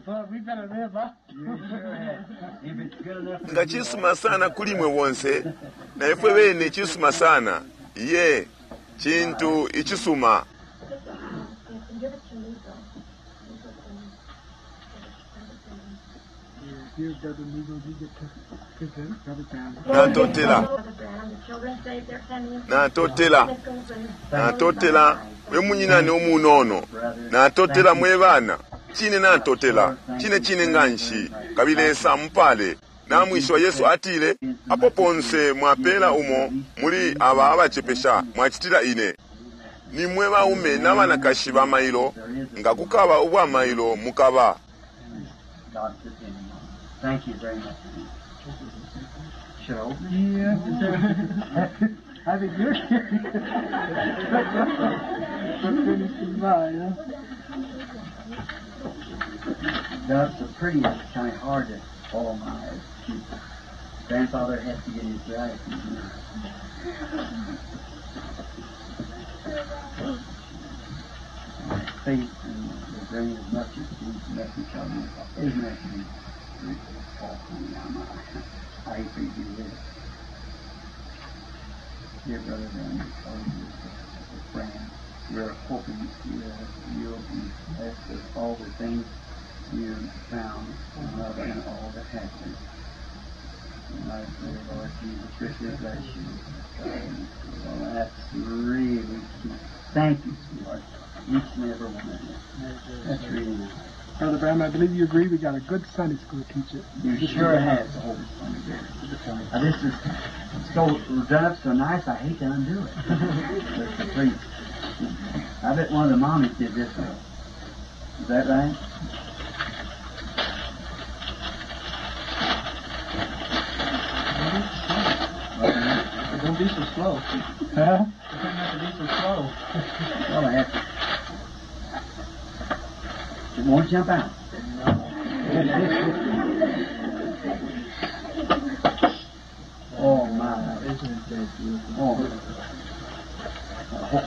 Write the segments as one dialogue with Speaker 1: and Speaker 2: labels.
Speaker 1: But we better live up.
Speaker 2: You sure have. If it's good enough for
Speaker 3: Nga
Speaker 2: you,
Speaker 3: cisuma sana kuli mwe bonse, na ifwe bene cisuma sana. Iye, cintu icisuma.
Speaker 4: And give it to me, though.
Speaker 1: Here, Brother Neagle, you get to present Brother Branham.
Speaker 3: Natotela,
Speaker 4: Brother Branham, the children saved their pennies,
Speaker 3: natotela,
Speaker 4: nickels, and
Speaker 3: natotela, we munyinane umunono. Natotela mwe bana. Cine natotela, cine cine nganshi, kabili Lesa amupale. Namwishiwa Yesu atile, apo ponse mwapela umo muli aba abacepesha mwacitila ine. Nimwe baume n'abanakashi ba mailo, nga kukaba ubwa mailo mukaba.
Speaker 2: God's opinion. Thank you very much. Should I open it?
Speaker 1: Yeah. I think you're curious. But finish the line, huh?
Speaker 2: That's the prettiest. It's kind of hard to follow my eyes. Grandfather has to get his glasses. My face and the brain is much as message on me. Isn't that I hate for you to do this. Dear brother and friend, we're hoping you'll be blessed with all the things you found and love and all that happened. And I pray, Lord Jesus, richly bless you. Well, that's really cute. Thank you, sweetheart. Each and every one of you. That's really nice.
Speaker 1: Brother Branham, I believe you agree we got a good Sunday school teacher.
Speaker 2: You sure have the whole Now, this is so done up so nice, I hate to undo it. But please, I bet one of the mommies did this one. Is that right?
Speaker 5: Don't be so slow.
Speaker 1: Huh?
Speaker 5: You don't have to be so slow.
Speaker 2: Well, I have to. It won't jump out. Oh my!
Speaker 5: Isn't it that beautiful?
Speaker 2: Oh. Oh,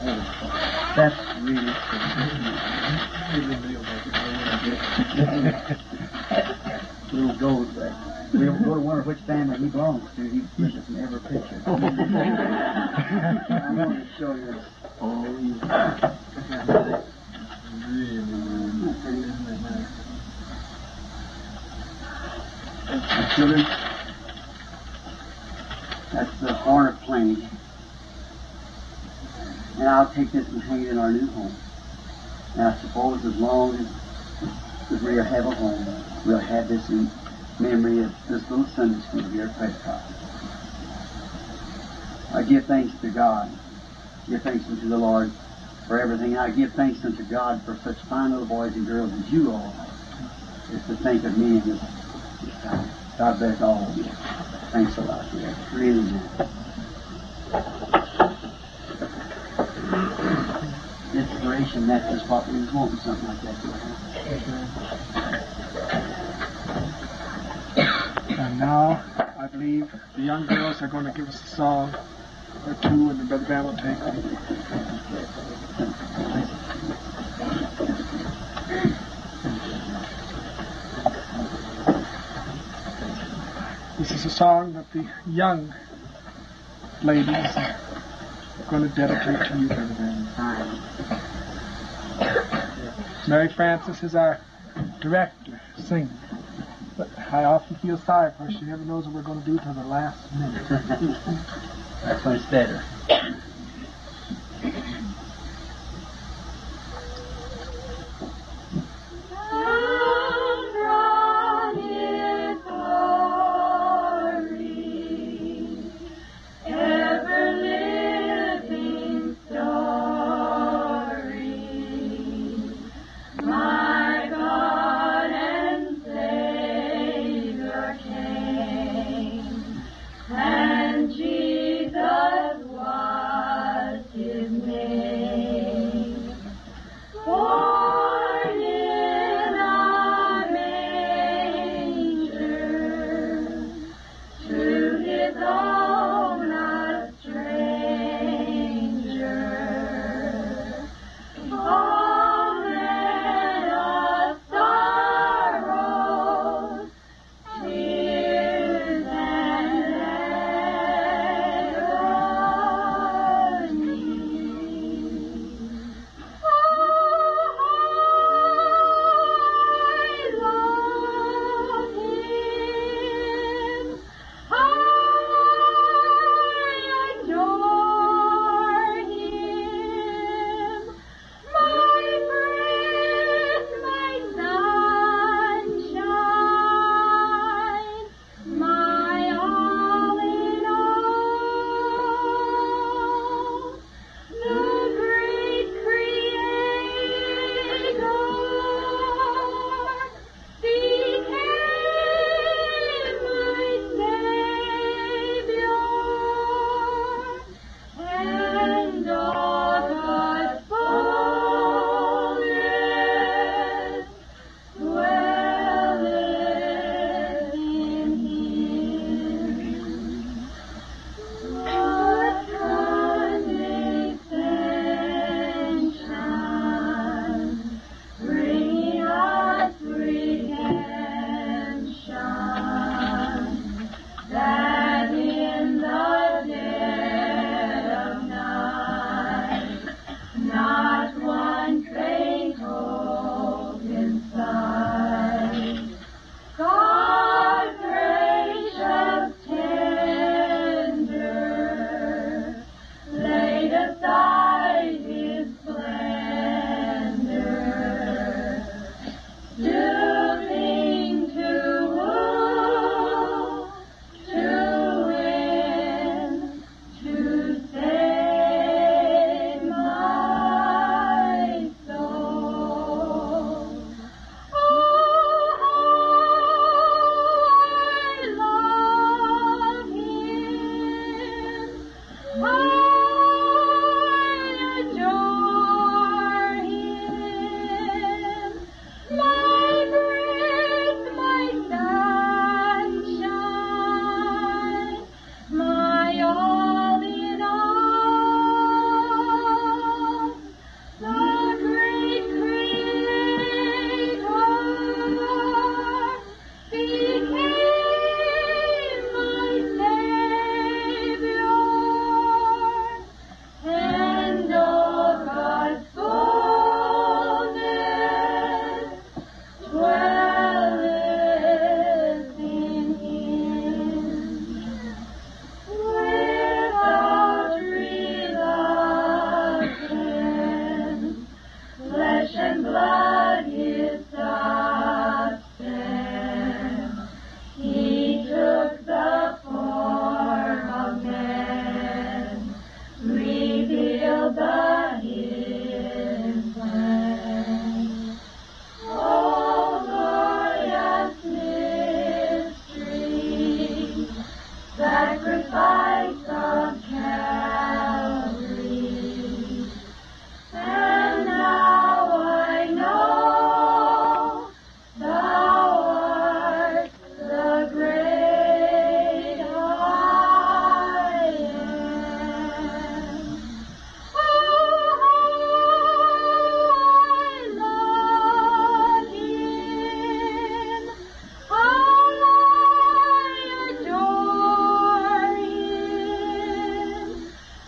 Speaker 2: that's really cool. Little gold there. We'll go to wonder which family he belongs to. He pushes in every picture. I want to show you.
Speaker 5: Oh, yeah. Really, really, isn't it nice?
Speaker 2: My children, that's the horn of plenty. And I'll take this and hang it in our new home. And I suppose as long as, as we have a home, we'll have this in memory of this little Sunday school here at Prescott. I give thanks to God. Give thanks unto the Lord for everything. I give thanks unto God for such fine little boys and girls as you all are. Is to think of me in this, this time. God bless all of you. Thanks a lot. Yeah, really nice. Inspiration, that's just what we was wanting, something like that to happen.
Speaker 1: And now, I believe the young girls are going to give us a song or two, and then Brother Branham will take them. This is a song that the young ladies are going to dedicate to you, Brother Branham.
Speaker 2: Fine.
Speaker 1: Mary Frances is our director, singer. But I often feel sorry for her. She never knows what we're going to do till the last minute.
Speaker 2: That's when it's better.
Speaker 6: From His glory, ever living story, my God and Savior came, and Jesus was. Fulfilled the hidden plan. Oh, glorious mystery, sacrifice of Calvary. And now I know thou art the great I am. Oh, how I love him. I adore him.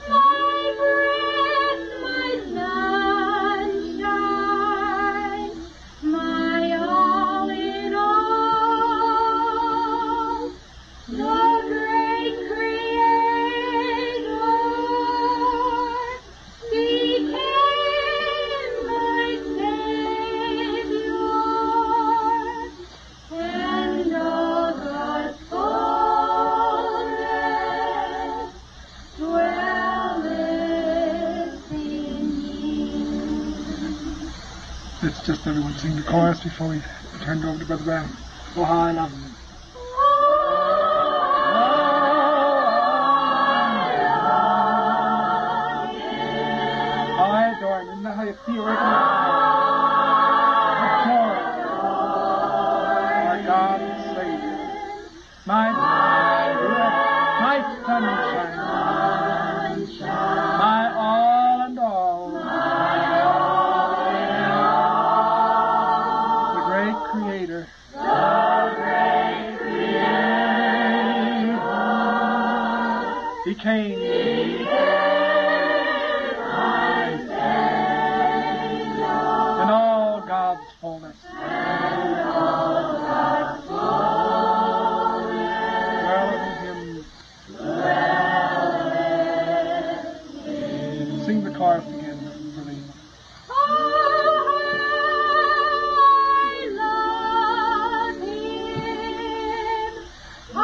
Speaker 6: My breath, my sunshine, my all in all. The great Creator became my Savior, and all God's fullness dwelleth in me.
Speaker 1: Let's just everyone sing the chorus before we turn it over to Brother Brown. Oh, how I love him. How I adore him. Isn't that how you feel right now? Adore him. My God and Savior. My breath, my sunshine, my all and all. The great Creator. Became in all God's fullness. Dwelleth in him. Sing the chorus again, Berlin.
Speaker 6: Oh, I love him. I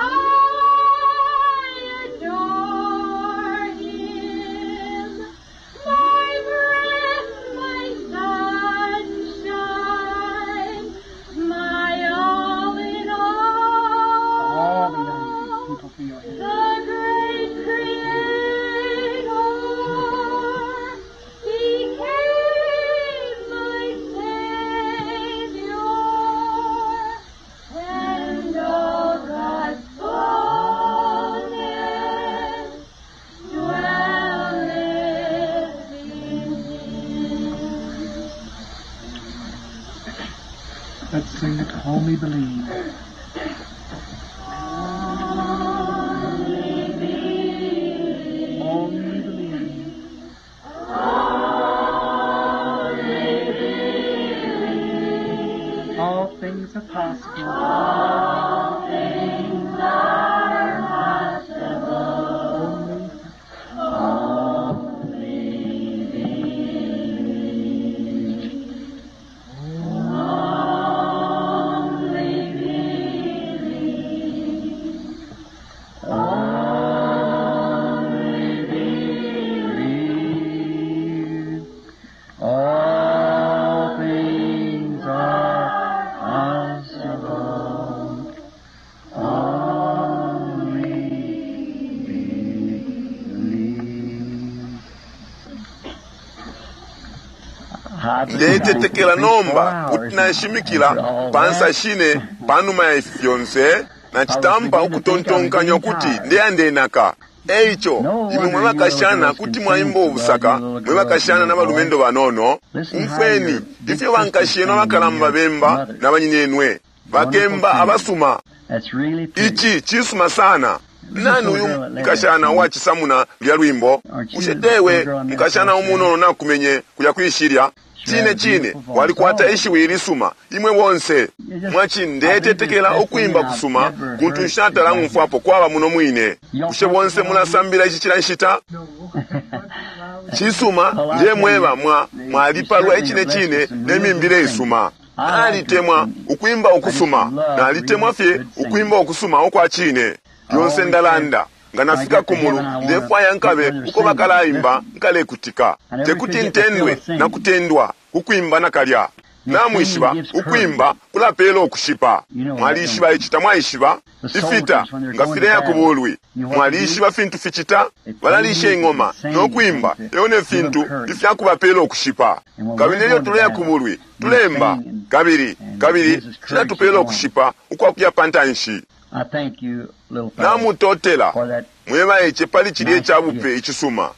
Speaker 6: adore him. My breath, my sunshine, my all in
Speaker 1: All the
Speaker 6: all.
Speaker 1: young people feel here.
Speaker 6: The great Creator became my Savior, and all God's fullness dwelleth in him.
Speaker 1: Let's sing it, Only Believe. Only believe. All things are possible. All things are possible. Only
Speaker 2: Believe. All things are possible. Only believe.
Speaker 3: Ndetetekela nomba kuti nashimikila pansa shine panuma ya ifi fyonse nacitampa ukutontonkanya ukuti ndeyandenaka. Eico imwe mwe bakashana kuti mwaimba ubusaka, mwe bakashana na balumendo banono, umfweni ifyo bankashiyenu abakalamba bemba na banyinenwe bakemba abasuma.
Speaker 2: That's really pretty.
Speaker 3: Ici cisuma sana. Nani uyu mukashana uwacisamuna lulya lwimbo? Bushe tewe mukashana umunono nakumenye kuya kwishilya? Cine cine walikwata ishiwi ilisuma imwe bonse. Mwaci ndetetekela ukwimba kusuma kuntu nshatala ng'umfwapo kwaba muno mwine. Bushe bonse mulasambila ici cila nshita? Cisuma ndiye mweba mwa mwalipalwa icine cine ne mimbile isuma. Nalitemwa ukwimba ukusuma, nalitemwa fye ukwimba ukusuma ukwa cine. Lyonse ndalanda. Nga nafika ku mulu, ndefwaya nkabe uko bakalaimba, nkalekutika. Tekuti ntendwe na kutendwa kukwimba nakalya. Namwishiba, ukwimba kulapela ukushipa. Mwalishiba ici, tamwaishiba? Ifita nga fileya ku bulwi, mwalishiba fintu ficita? Balalisha ing'oma no kwimba, elo ne fintu ifyakubapela ukushipa. Kabili nelyo tuleya ku bulwi, tulemba, kabili kabili cilatupela ukushipa ukwakuya pa ntanshi.
Speaker 2: I thank you, little fellow,
Speaker 3: Namutotela
Speaker 2: for that
Speaker 3: mwe baice pali cilye ca bupe icisuma.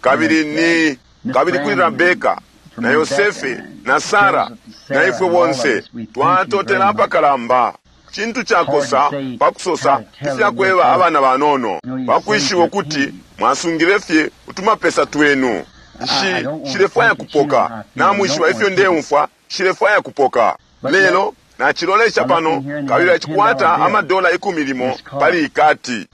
Speaker 3: Kabili ni kabili kuli Rabeka na Yosefe na Sara na ifwe bonse twatotela apakalamba. Cintu cakosa pakusosa ifyakweba abana banono pakwishiba ukuti mwasungile fye utumapesa twenu. Shi shilefwaya kupoka, namwishiba ifyo ndeumfwa, shilefwaya kupoka. Lelo nacilolesha pano kabili acikwata amadola 10 pali ikati.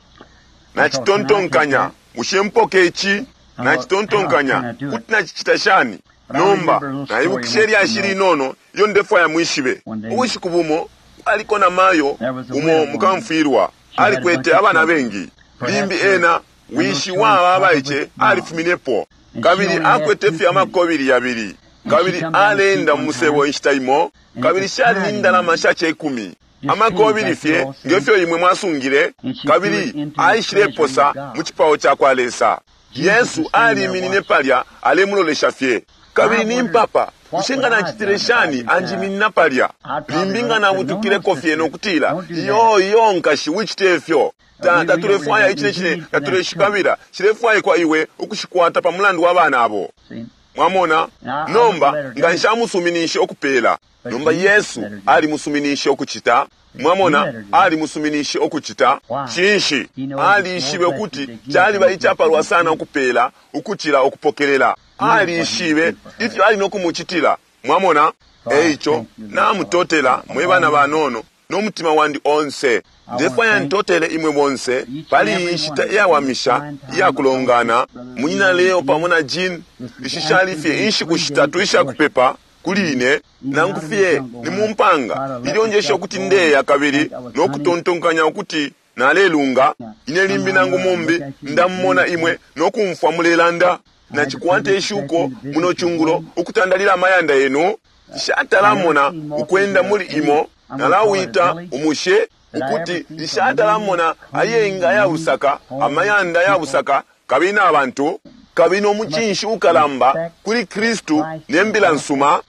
Speaker 3: Nacitontonkanya, bushe mpoke ici? Nacitontonkanya, kuti nacicita shani? Nomba naibukisha ilyashi linono ilyo ndefwaya mwishibe. Ubushiku bumo aliko na mayo umo mukamfwilwa, alikwete abana bengi. Limbi ena wishi waba abaice alifuminepo, kabili akwete fye amakobili yabili, kabili aleenda mu musebo inshita imo, kabili shali ni ndalama sha cekumi amakobili fye ngefyo imwe mwasungile, kabili aishileposa mu cipao ca kwa Lesa. Yesu aliminine palya alemulolesha fye. Kabili ni mpapa, bushe nga nacitile shani anjiminina palya? Limbi nga nabutukileko fye nokutila, iyo iyo nkashi wicite ifyo. Tatulefwaya icine cine, tatuleshikabila, shilefwaikwa iwe ukushikwata pa mulandu wa bana abo.
Speaker 2: See?
Speaker 3: Mwamona? Nomba nga nshamusuminishe ukupela. Nomba Yesu alimusuminishe ukucita. Mwamona, alimusuminishe ukucita. Cinshi? Alishibe ukuti caliba icapalwa sana ukupela ukucila ukupokelela. Alishibe ifyo ali no kumucitila. Mwamona? Eico namutotela mwe bana banono no mutima wandi onse. Ndefwaya ntotele imwe bonse pali iyi nshita iyawamisha iyakulongana. Munyina Leo pamo na Jean, ishi shali fye inshiku shitatu ishakupepa kuli ine, nangu fye ni mu mpanga ilyo njesha ukuti ndeya kabili no kutontonkanya ukuti nalelunga. Ine limbi nangu mumbi ndamumona imwe no kumfwa mulelanda. Nacikwata ishuko muno cungulo ukutandalila amayanda yenu. Nshatalamona ukwenda muli imo, nalawita umushe ukuti nshatalamona ayenga ayabusaka, amayanda ayabusaka, kabili na bantu, kabili nomucinshi ukalamba kuli Kristu ne mbila nsuma,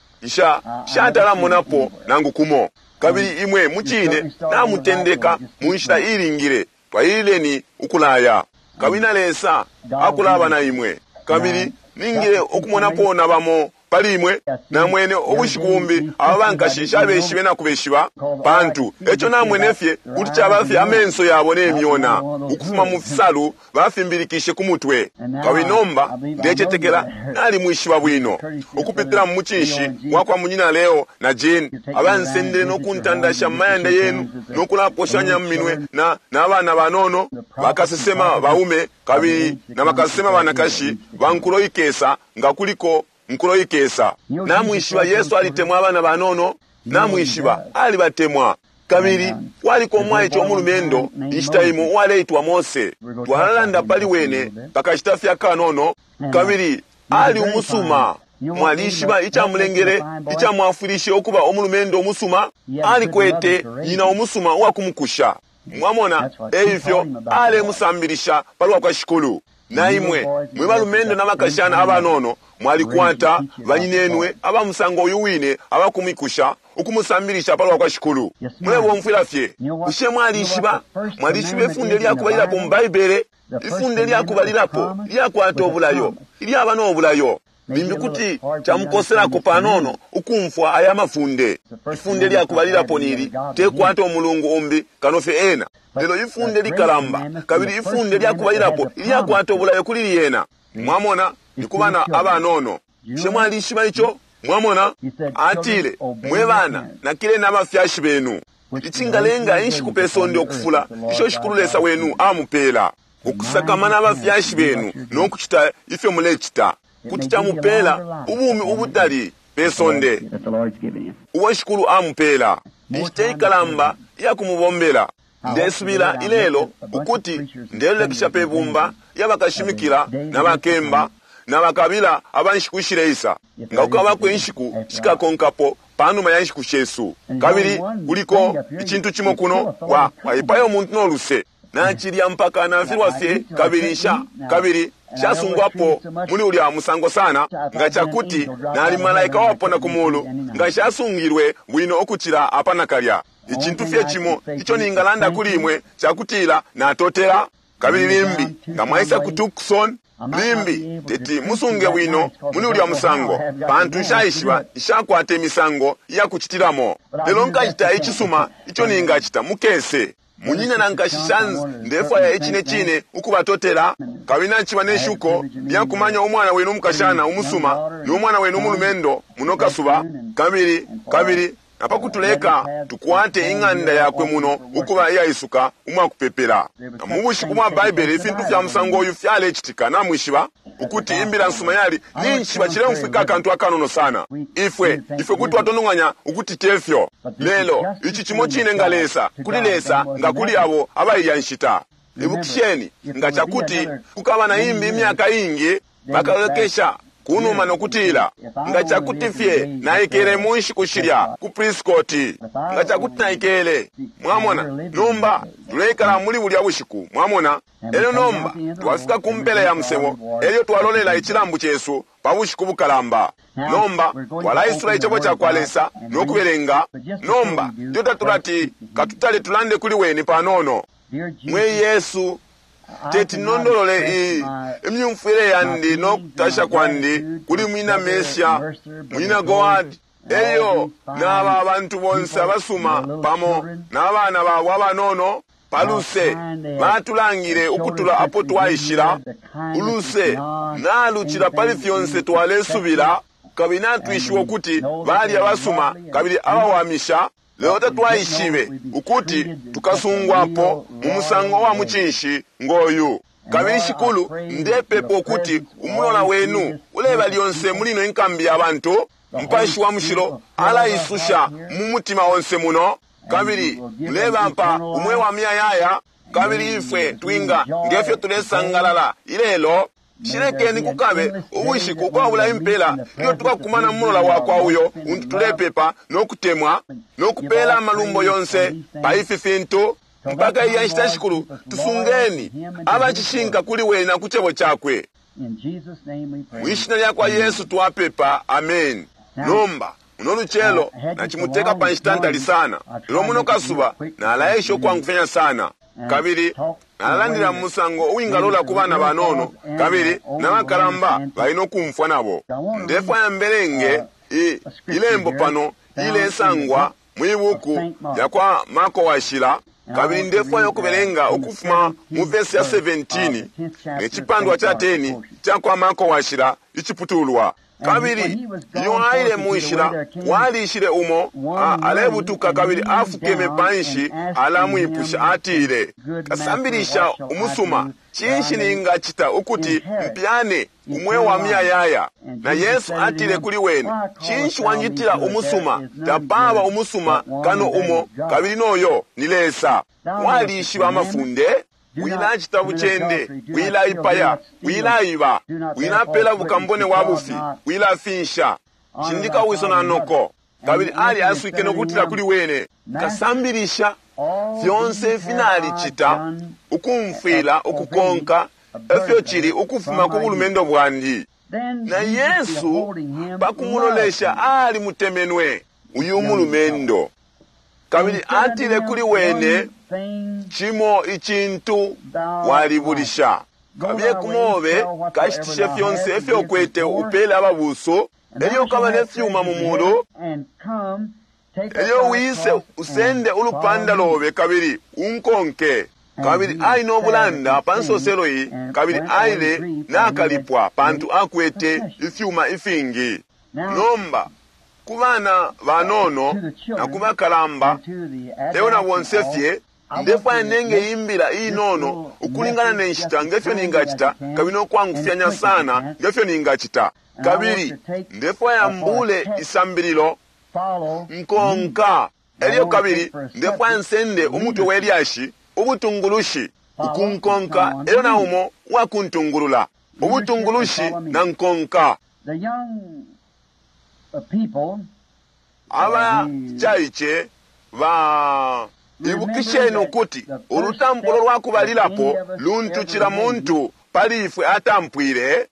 Speaker 3: nshatalamonapo nangu kumo. Kabili imwe mucine namutendeka mu nshila ilingile, twalilileni ukulaya. Kabili na Lesa akulaba na imwe. Kabili ningile ukumonapo na bamo pali imwe, namwene ubushiku bumbi aba bankashi nshabeshibe na kubeshiba, pantu eco namwene fye kuti caba fye amenso yabo ne myona ukufuma mu fisalu bafimbilikishe ku mutwe. Kabili nomba ndecetekela nalimwishiba bwino ukupitila mu mucinshi wa kwa munyina Leo na Jean, abansendele no kuntandasha mu mayanda yenu no kulaposhanya mu minwe na n'abana banono bakasesema baume kabili na bakasesema banakashi bankulo ikesa nga kuliko nkulo ikesa. Namwishiba Yesu alitemwa abana banono, namwishiba alibatemwa. Kabili kwaliko umwaice omulumendo inshita imo uwaleitwa Mose. Twalalanda pali wene pakashita fye akanono, kabili ali umusuma. Mwalishiba icamulengele, icamwafwilishe ukuba omulumendo umusuma? Alikwete nyina umusuma uwakumukusha. Mwamona, eifyo alemusambilisha palwa kwa Shikulu. Na imwe mwe balumendo na bakashana abanono mwalikwata banyinenwe abamusango uyu wine abakumikusha ukumusambilisha palwa kwa Shikulu. Mulebomfwila fye. Bushe mwalishiba? Mwalishiba ifunde lyakubalilapo mu Baibele? Ifunde lyakubalilapo lyakwata obulayo, ilyaba n'obulayo. Limbi kuti camukoselako panono ukumfwa aya mafunde. Ifunde lyakubalilapo nili tekwata omulungu umbi kano fye ena. Lelo ifunde likalamba, kabili ifunde lyakubalilapo ilyakwata obulayo kuli lyena. Mwamona, ni ku bana abanono. Bushe mwalishiba ico? Mwamona, atile, mwe bana nakileni abafyashi benu. Icingalenga inshiku pe sonde ukufula, isho Shikulu Lesa wenu amupeela. Ukusakamana abafyashi benu no kucita ifyo mulecita kuti camupeela ubumi ubutali pe sonde
Speaker 2: That the Lord's given you.
Speaker 3: ubo Shikulu amupeela. Inshita ikalamba iyakumubombela. Ndesubila ilelo ukuti ndelolekesha pe bumba lyabakashimikila na bakemba na bakabila aba nshiku ishileisa, nga kukabako inshiku shikakonkapo panuma ya nshiku shesu. Kabili kuliko icintu cimo kuno, wa waipaya umuntu no luse. Nacilya mpaka nafilwa fye, kabili nsha kabili nshasungwapo muli ulya musango sana. Nga cakuti nali malaika wapona ku mulu, nga nshasungilwe bwino ukucila apa nakalya. Icintu fye cimo ico ningalanda kuli imwe cakutila natotela. Kabili limbi nga mwaisa ku Tucson, limbi teti musunge bwino muli ulya musango, pantu nshaishiba, nshakwata imisango iyakucitilamo. Lelo nkacita icisuma ico ningacita mukese. Munyina na nkashi Shans, ndefwaya icine cine ukubatotela. Kabili naciba ne shuko lyakumanya umwana wenu umukashana umusuma no mwana wenu umulumendo muno kasuba, kabili kabili napakutuleka tukwate ing'anda yakwe muno ukuba iyaisuka umwakupepela. Na mu bushiku bwa Baibele ifintu fya musango uyu fyalecitika. Namwishiba ukuti imbila nsuma yali ninshiba cileumfwika akantu akanono sana. Ifwe ifwe kuti twatononganya ukuti tefyo, lelo ici cimo cine nga Lesa kuli Lesa nga kuli abo abailya nshita. Ibukisheni, nga cakuti kukaba na imbi imyaka ingi bakalolekesha kunuma nokutila, nga cakuti fye naikele mu nshiku shilya ku Prescott, nga cakuti naikele. Mwamona, nomba tuleikala muli bulya bushiku, mwamona. Elyo nomba twafika ku mpela ya musebo, elyo twalolela icilambu cesu pa bushiku bukalamba. Nomba twalaisula icebo ca kwa Lesa no kubelenga. Nomba ilyo tatulati katutale tulande kuli weni panono. Mwe Yesu, teti nondolole iyi imyumfwile yandi no kutasha kwandi kuli mwina Mesia, mwina Goad, eyo n'aba abantu bonse abasuma pamo n'abana babo abanono paluse batulangile ukutula apo twaishila. Uluse nalucila pali fyonse twalesubila, kabili natwishiwa ukuti bali abasuma kabili abawamisha. Lelo tatwaishibe ukuti tukasungwapo mu musango wa mucinshi ngoyu. Kabili Shikulu, ndepepa ukuti umulola wenu uleba lyonse muli ino inkambi ya bantu. Mupashi wa Mushilo alaisusha mu mutima onse muno, kabili mulebampa umweo wa muyayaya. Kabili ifwe twinga ngefyo tulesangalala ilelo, shilekeni kukabe ubushiku ukwabula impela ilyo tukakumana mu mulola wakwa uyo untu tulepepa no kutemwa no kupela amalumbo yonse pa ifi fintu. Mpaka iya nshita, Shikulu, tusungeni abacishinka kuli wena ku cebo cakwe. Mwishina lya kwa Yesu twapepa, amen. Nomba muno lucelo nacimuteka pa nshita ntali sana, lelo muno kasuba nalaesha ukwangufyanya sana, kabili nalalandila mu musango uwingalola ku bana banono kabili na bakalamba bali no kumfwa nabo. Ndefwaya mbelenge ilembo pano ilesangwa mwi buku lya kwa Marko Washila, kabili ndefwaya ukubelenga ukufuma mu vesi ya 17 ne cipandwa ca 10 ca kwa Marko Washila iciputulwa. Kabili iyo aile mu nshila, walishile umo alebutuka kabili afukeme panshi alamwipusha, atile, kasambilisha umusuma, cinshi ningacita ukuti mpyane umweo wa muyayaya? Na Yesu atile kuli wene, cinshi wanjitila umusuma? Tapaba umusuma kano umo, kabili noyo ni Lesa. Walishiba amafunde: wilacita bucende, wilaipaya, wilaiba, wilapela bukambone wa bufi, wilafinsha, cindika wiso na noko. Kabili ali aswike nokutila kuli wene, kasambilisha, fyonse ifi nalicita ukumfwila ukukonka efyo cili ukufuma ku bulumendo bwandi. Na Yesu pakumulolesha alimutemenwe uyu mulumendo, kabili atile kuli wene, cimo icintu walibulisha. Kabiye kumobe kashitishe fyonse ifyo ukwete upele ababuso, elyo ukaba ne fyuma mu mulu, elyo wise usende ulupanda lobe kabili unkonke. Kabili ali no bulanda pa nsoselo iyi, kabili aile nakalipwa pantu akwete ifyuma ifingi. Nomba ku bana banono na ku bakalamba lelo na bonse fye, ndefwaya nenge imbila inono ukulingana ne nshita ngefyo ningacita, kabili nokwangufyanya sana ngefyo ningacita. Kabili ndefwaya mbule isambililo nkonka, elyo kabili ndefwaya nsende umutwe we lyashi. Ubutungulushi, ukunkonka, elyo na umo uwakuntungulula. Ubutungulushi na nkonka.
Speaker 2: The young people
Speaker 3: Abacaice ba ibukisheni ukuti ulutampulo lwa kubalilapo luntu cila muntu pali ifwe atampwile,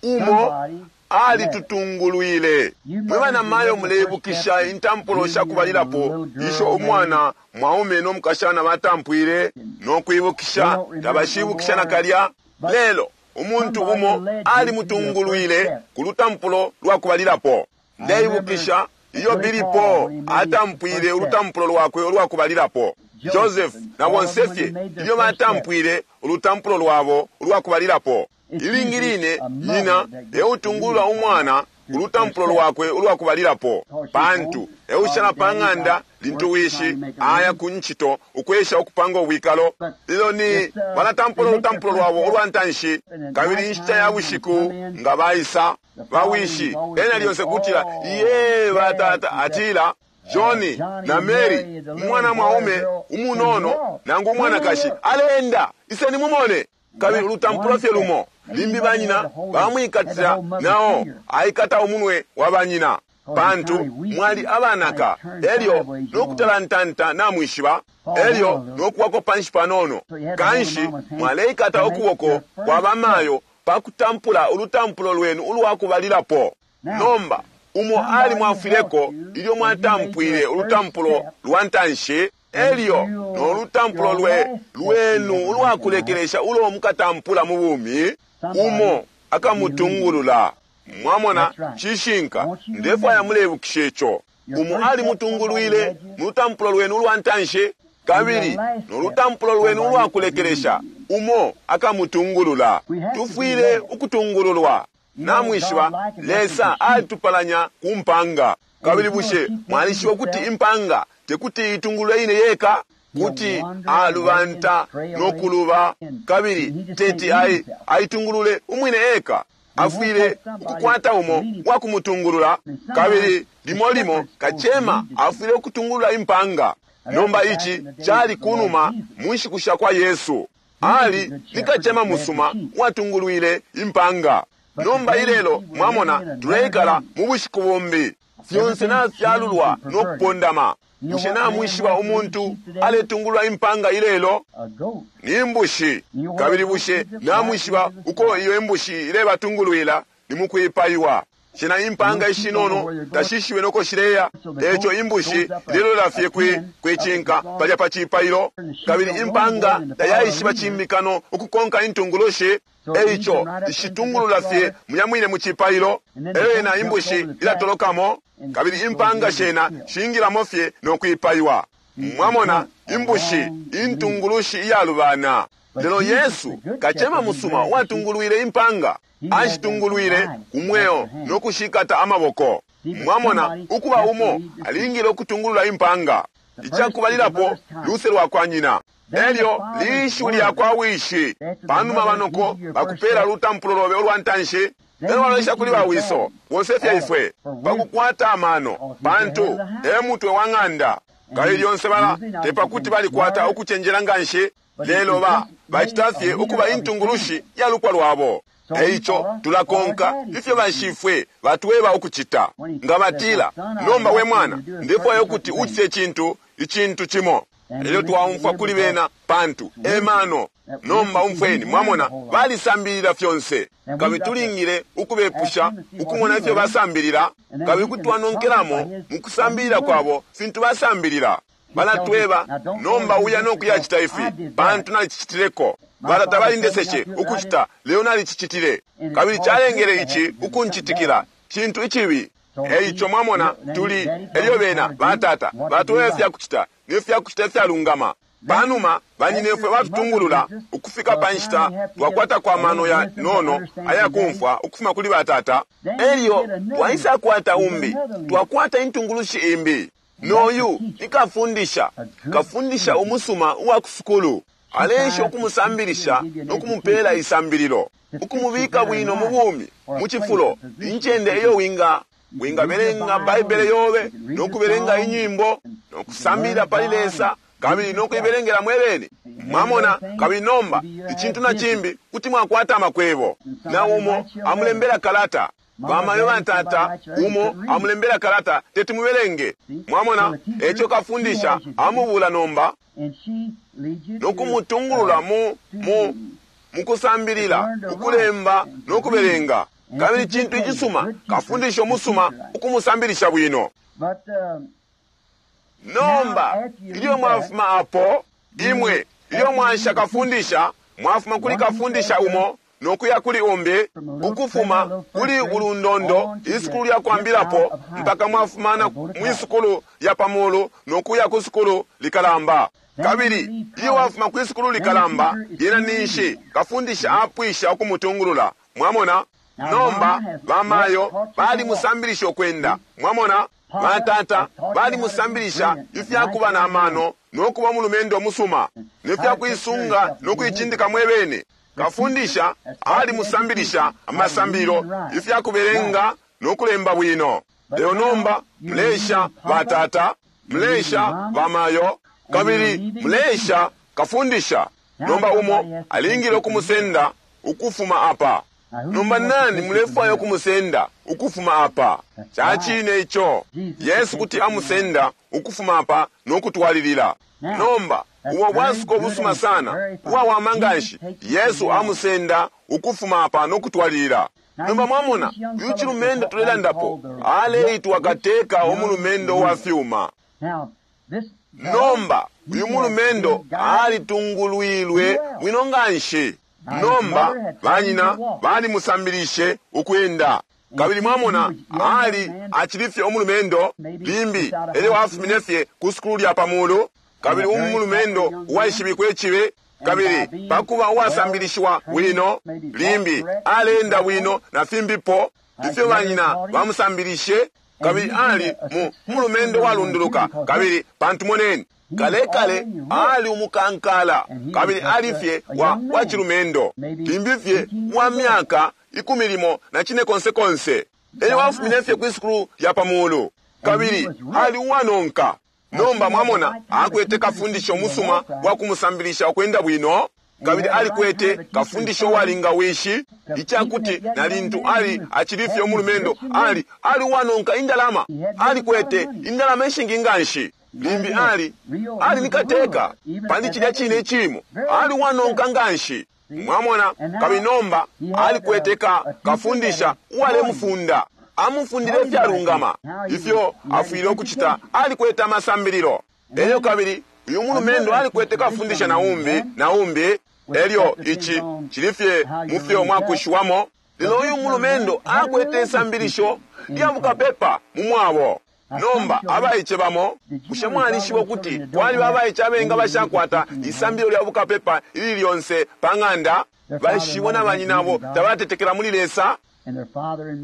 Speaker 3: umo alitutungulwile. Mwe banamayo muleibukisha intampulo sha kubalilapo isho umwana mwaume no mukashana batampwile no kwibukisha, tabashibukisha nakalya. Lelo umuntu umo alimutungulwile ku lutampulo lwa kubalilapo. Ndeibukisha iyo Billy Paul atampwile ulutampulo lwakwe ulwa kubalilapo. Joseph na bonse fye ilyo batampwile ulutampulo lwabo ulwa kubalilapo. Ilingi line nyina eutungulula umwana ulutampulo lwakwe ulwa kubalilapo, pantu eushala pa ng'anda lintu wishi aya ku ncito ukwesha ukupanga ubwikalo. Lelo ni balatampula ulutampulo lwabo ulwa ntanshi, kabili inshita ya bushiku nga baisa bawishi ena lyonse kutila iye batata, atila Johnny na Mary, umwana mwaume umunono nangu umwanakashi aleenda, iseni mumone. Kabili ulutampulo fye lumo limbi banyina bamwikatila, nao aikata umunwe wa banyina, pantu mwali abanaka, elyo nokutalantanta namwishiba, elyo nokuwako panshi panono. Kanshi mwaleikata ukuboko kwa bamayo pakutampula ulutampulo lwenu ulwakubalilapo. Nomba umo alimwafwileko ilyo mwatampwile ulutampulo lwa ntanshi, elyo no lutampulo lwenu ulwakulekelesha ulo mukatampula mu bumi, umo akamutungulula. Mwamona, cishinka. Ndefwaya mulebukisha ico. Umo alimutungulwile mu lutampulo lwenu ulwa ntanshi, kabili no lutampulo lwenu ulwakulekelesha umo akamutungulula. Tufwile ukutungululwa. Namwishiba, Lesa alitupalanya ku mpanga. Kabili bushe mwalishiba ukuti impanga tekuti itungulule ine yeka? Kuti alubanta no kuluba, kabili teti aitungulule umwine eka. Afwile ukukwata umo wa kumutungulula. Kabili limo limo kacema afwile ukutungulula impanga. Nomba ici cali kunuma mu nshiku sha kwa Yesu. Ali ni kacema musuma watungulwile impanga. Nomba ilelo mwamona tuleikala mu bushiku bumbi, fyonse nafyalulwa no kupondama. Bushe namwishiba umuntu aletungulula impanga ilelo? Ni imbushi. Kabili bushe namwishiba uko iyo imbushi ilebatungulwila? Ni mukwipaiwa. Shena impanga ishinono tashishiwe noko shileya. Eco imbushi ilelola fye kwicinka palya pa cipailo. Kabili impanga tayaishiba cimikano ukukonka intungulushi. Eico ishitungulula fye muya mwine mu cipailo. Elyo yena imbushi ilatolokamo, kabili impanga shena shingilamo fye no kwipaiwa. Mwamona, imbushi intungulushi iyalubana. Lelo Yesu kacema musuma watungulwile impanga, ashitungulwile ku mweo no kushikata amaboko. Mwamona, ukuba umo alingile ukutungulula impanga. Icakubalilapo luse lwa kwa nyina, elyo lishiwi lya kwa wishi. Panuma banoko bakupela lutampulo lobe ulwa ntanshi, elyo walolesha kuli bawiso bonse fye ifwe pakukwata amano, pantu e mutwe wa ng'anda. Kabili lyonse bala tepakuti balikwata ukucenjela nganshi, lelo bacita fye ukuba intungulushi ya lupwa lwabo. Eico tulakonka ifyo bashifwe batweba ukucita. Nga batila, nomba we mwana, ndefwaya ukuti ucite icintu icintu cimo, elyo twaumfwa kuli bena, pantu e mano. Nomba umfweni, mwamona, balisambilila fyonse, kabili tulingile ukubepusha ukumona ifyo basambilila, kabili kuti twanonkelamo mu kusambilila kwabo fintu basambilila. Balatweba, nomba uya no kuyacita ifi, pantu nalicicitileko. Batata balindeseshe ukucita, lelo nalicicitile, kabili calengele ici ukuncitikila, cintu icibi. Eico mwamona, tuli elyo bena batata batweba ifyakucita nefyakucita ifyalungama. Panuma banyinefwe batutungulula ukufika pa nshita twakwata kwa mano ya nono ayakumfwa ukufuma kuli batata, elyo twaisakwata umbi, twakwata intungulushi imbi. Noyu ni kafundisha, kafundisha umusuma uwa kusukulu. Aleesha ukumusambilisha no kumupela isambililo, ukumubika bwino mu bumi, mu cifulo, incende iyo wingabelenga Baibele yobe, no kubelenga inyimbo, no kusambilila pali Lesa, kabili no kuibelengela mwebene. Mwamona? Kabili nomba icintu na cimbi, kuti mwakwata amakwebo, na umo amulembela kalata. Bamayo batata, umo amulembela kalata, teti mubelenge. Mwamona? Eco kafundisha amubula nomba no kumutungulula mu mu mukusambilila ukulemba no kubelenga. Kabili cintu icisuma, kafundisha umusuma ukumusambilisha bwino. Nomba ilyo mwafuma apo, imwe ilyo mwansha kafundisha, mwafuma kuli kafundisha umo no kuya kuli umbi, ukufuma kuli ulundondo isukulu lya kwambilapo mpaka mwafumana mwisukulu lya pamulu no kuya ku sukulu likalamba. Kabili iyo wafuma kwi sukulu likalamba, lyena ninshi kafundisha apwisha ukumutungulula. Mwamona? Nomba bamayo balimusambilisha ukwenda. Mwamona? Batata balimusambilisha ifya kuba na mano no kuba mulumendo musuma ne fya kuisunga no kuicindika mwebene. Kafundisha alimusambilisha amasambililo ifya kubelenga no kulemba bwino. Lelo nomba mulesha batata, mulesha bamayo, kabili mulesha kafundisha. Nomba umo alingile ukumusenda ukufuma apa. Nomba nani mulefwaya ukumusenda ukufuma apa? Cacine ico. Yesu kuti amusenda ukufuma apa no kutwalilila. Nomba ubo bwasuko busuma sana, uwawama nganshi. Yesu amusenda ukufuma apa no kutwalilila. Nomba mwamona, uyu cilumendo tulelandapo aleitwa kateka umulumendo wa fyuma. Nomba uyu mulumendo alitungulwilwe bwino nganshi. Nomba banyina balimusambilishe ukwenda. Kabili mwamona, ali acilifye umulumendo limbi elyo afumine fye ku sukulu lya pamulu. Kabili umulumendo uwaishibikwe icibe, kabili pakuba uwasambilishiwa bwino, limbi alenda bwino na fimbipo ifyo banyina bamusambilishe. Kabili ali mu mulumendo walunduluka. Kabili pantu moneni, kale kale ali umukankala, kabili ali fye wa cilumendo, limbi fye wa myaka 14 na cine konse konse. Elyo afumine fye kwi sukulu lya pamulu, kabili ali uwanonka. Nomba mwamona, akwete kafundisho musuma wa kumusambilisha ukwenda bwino, kabili alikwete kafundisho walinga wishi, icakuti na lintu ali acilifye umulumendo, ali uwanonka indalama, alikwete indalama ishingi nganshi. Limbi ali ni kateka pandi cilya cine icimo, ali uwanonka nganshi. Mwamona? Kabili nomba alikwete kafundisha uwalemufunda, amufundile ifyalungama ifyo afwile ukucita. Alikwete amasambililo. Elyo kabili uyu mulumendo alikwete kafundisha na umbi na umbi. Elyo ici cilifye mufyo mwakushiwamo. Lelo uyu mulumendo akwete isambilisho lya bukapepa mu mwabo. Nomba abaice bamo, bushe mwalishiba ukuti kwaliba abaice abengi abashakwata isambililo lya bukapepa ili lyonse pa ng'anda? Bashibo na banyinabo tabatetekela muli Lesa,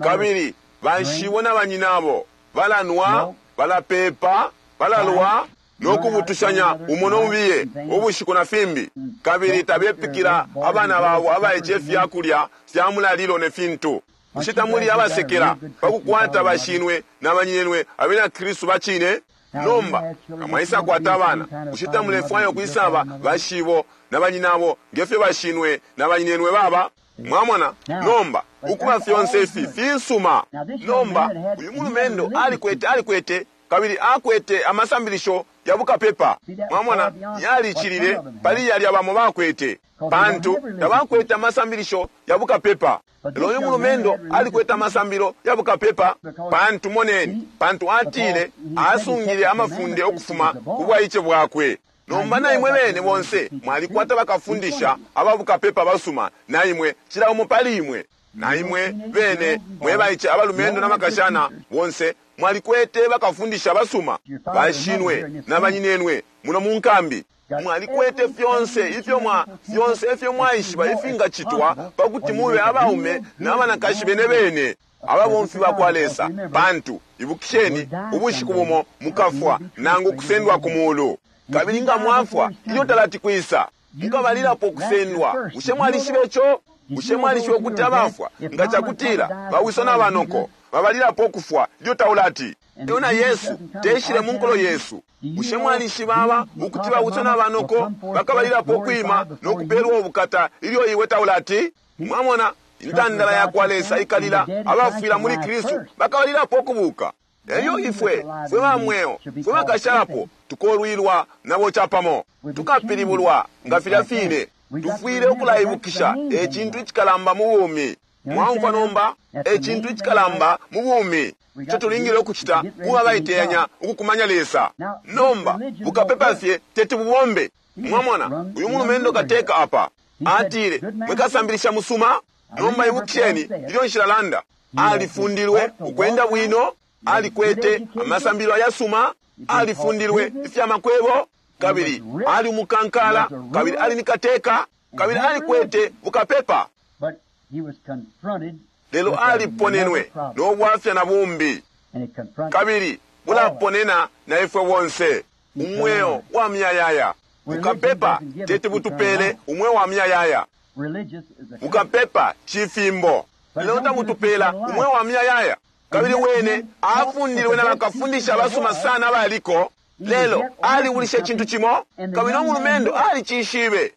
Speaker 3: kabili bashibo na banyinabo balanwa, balapepa, balalwa no kubutushanya umo nomubiye ubushiku na fimbi, kabili tabepikila abana babo abaice ifyakulya fya mulalilo ne fintu. Bushe tamuli abasekela pakukwata bashinwe na banyinenwe abena Kristu bacine? Nomba nga mwaisa kwata abana, bushe tamulefwaya ukwisaba bashibo na banyinabo ngefyo bashinwe na banyinenwe baba? Mwamona? Nomba ukuba fyonse ifi fisuma. Nomba uyu mulumendo alikwete kabili akwete amasambilisho ya bukapepa. Mwamona, yalicilile pali yalya bamo bakwete, pantu tabakwete amasambilisho ya bukapepa. Lelo uyu mulumendo alikwete amasambilo ya bukapepa, pantu moneni, pantu atile asungile amafunde ukufuma ku bwaice bwakwe. Nomba na imwe bene bonse mwalikwata bakafundisha aba bukapepa basuma, na imwe cila umo pali imwe, na imwe bene mwebaice abalumendo na makashana bonse mwalikwete bakafundisha basuma, bashinwe na banyinenwe muno mu nkambi. Mwalikwete fyonse ifyo fyonse ifyo mwaishiba ifingacitwa pakuti mube abaume na banakashi bene bene ababomfi bakwa Lesa, pantu ibukisheni, ubushiku bumo mukafwa nangu kusendwa ku mulu. Kabili nga mwafwa ilyo talati kwisa, mukabalilapo kusendwa. Bushe mwalishiba ico? Bushe mwalishiba ukuti abafwa nga cakutila bawiso na banoko babalilapo kufwa ilyo taulati? Lelo na Yesu teshile mu nkulo yesu. Bushe mwalishiba aba ukuti bauso na banoko bakabalilapo ukwima no kupeelwa ubukata ilyo iwe taulati? Mwamona, intandala ya kwa Lesa ikalila, abafwila muli Kristu bakabalilapo ukubuka. Elyo ifwe fwe ba mweo fwe bakashalapo tukolwilwa nabo capamo, tukapilibulwa nga filya fine. Tufwile ukulaibukisha e cintu icikalamba mu bumi. Mwaumfwa nomba? E cintu icikalamba mu bumi ico tulingile ukucita kuba abaiteyanya ukukumanya Lesa. Nomba bukapepa fye teti bubombe. Mwamona, uyu mulumendo kateka apa atile, mwekasambilisha musuma. Nomba ibukisheni ilyo nshilalanda, alifundilwe ukwenda bwino, alikwete amasambililo ayasuma, alifundilwe ifya makwebo, kabili ali umukankala, kabili ali ni kateka, kabili alikwete bukapepa. Lelo aliponenwe no bwafya na bumbi, kabili bulaponena na ifwe bonse. Umweo wa muyayaya. Bukapepa teti butupele umweo wa muyayaya. Bukapepa cifimbo, lelo tabutupela umweo wa muyayaya. Kabili wene afundilwe na bakafundisha abasuma sana abaliko, lelo alibulisha icintu cimo, kabili no mulumendo alicishibe.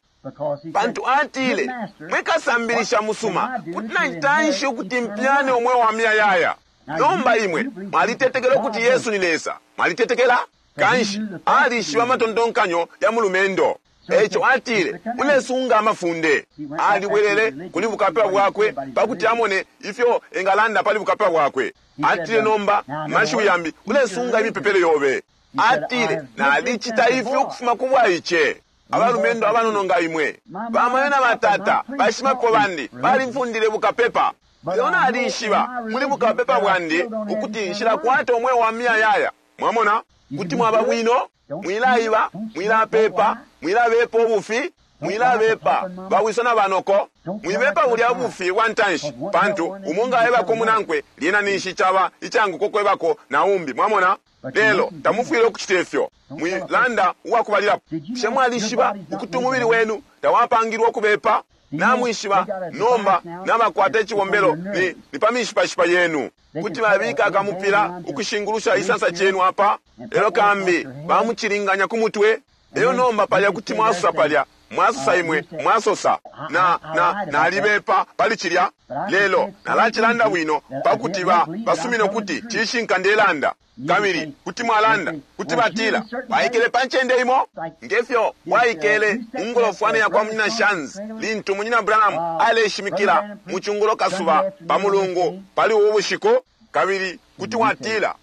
Speaker 3: Pantu atile, mwekasambilisha musuma, kuti nantanshi ukuti mpyane umweo wa muyayaya. Nomba imwe mwalitetekela ukuti Yesu ni Lesa. Mwalitetekela? Kanshi alishiba amatontonkanyo ya mulumendo. Eco atile, ulesunga amafunde. Alibwelele kuli bukapepa bwakwe pakuti amone ifyo engalanda pali bukapepa bwakwe. Atile nomba mashiwi yambi, ulesunga imipepele yobe. Atile, nalicita ifyo ukufuma ku bwaice. Abalumendo abanono nga imwe, bamayo na batata bashimapepo bandi balimfundile bukapepa. Lelo nalishiba muli bukapepa bwandi ukuti nshilakwata umweo wa muyayaya. Mwamona, kuti mwaba bwino, mwilaiba, mwilapepa, mwilabepa ubufi, mwilabepa bawiso na banoko, mwibepa bulya bufi bwa ntanshi, pantu umo nga aebako munankwe lyena ninshi caba icanguko kwebako na umbi. Mwamona? Lelo tamufwile ukucita ifyo. Mwilanda uwakubalilapo. Bushe mwalishiba ukuti umubili wenu tawapangilwe ukubepa? Namwishiba nomba nabakwata icibombelo ni pa mishipashipa yenu. Kuti babika akamupila ukushingulusha isansa cenu apa, lelo kambi bamucilinganya ku mutwe. Lelo nomba palya kuti mwasosa palya, mwasosa imwe, mwasosa na na nalibepa pali cilya, lelo nalacilanda bwino pakuti basumine ukuti cishinka ndelanda. Kabili kuti mwalanda, kuti batila waikele pa ncende imo ngefyo waikele mungolofwane ya kwa munyina Shanzi lintu munyina Branham aleshimikila mu cungulo kasuba pa mulungu pali ubu bushiku. Kabili kuti watila,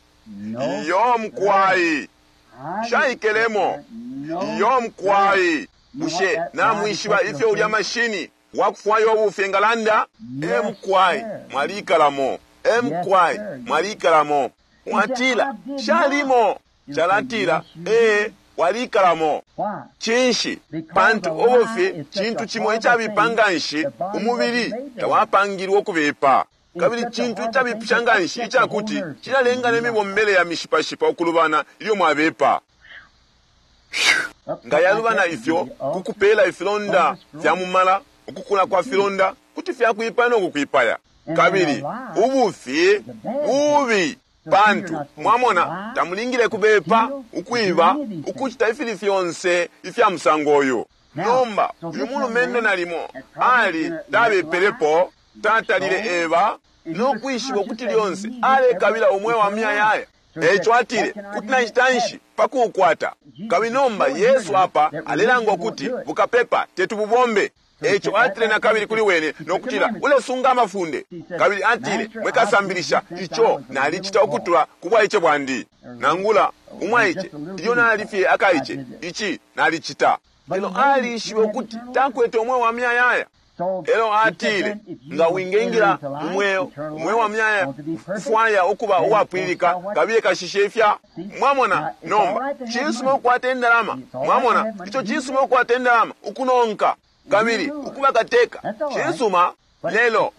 Speaker 3: iyo mkwai shaikelemo, iyo mkwai. Bushe namwishiba ifyo ulya mashini wakufwayo ubufi engalanda? Emkwai mwalikalamo, emkwai mwalikalamo. Mwatila shalimo, calatila ee walikalamo. Cinshi? Pantu ubufi cintu cimo icabipa nganshi, umubili tawapangilwe ukubipa. Kabili cintu icabipisha nganshi icakuti cilalenga ne mibombele ya mishipashipa ukulubana ilyo mwabepa. Nga yalubana ifyo kukupela ifilonda fya mumala, ukukula kwa filonda kuti fyakwipaya no kukwipaya. Kabili ubufi bubi, pantu mwamona tamulingile kubepa, ukwiba, ukucita ifili fyonse ifya musango uyu. Nomba uyu mulumendo nalimo ali tabepelepo, tatalile eba no kwishiba ukuti lyonse alekabila umweo wa muyayaya. Eco atile, kuti nachita nshi pakuukwata? Kabili nomba Yesu apa alelanga ukuti bukapepa tetububombe. Eco atile na kabili kuli wene nokutila, ulesunga amafunde. Kabili atile, mwekasambilisha ico nalicita ukutula ku bwaice bwandi. Nangula umwaice ilyo nali fye akaice, ici nalicita. Lelo alishibe ukuti takwete umweo wa muyayaya. Lelo atile, nga wingengila umweo, umweo wa muyayaya, kufwaya ukuba uwapwililika, kabiye kashishe ifya. Mwamona nomba cisuma ukukwata indalama. Mwamona ico cisuma ukukwata indalama, ukunonka kabili ukuba kateka cisuma, lelo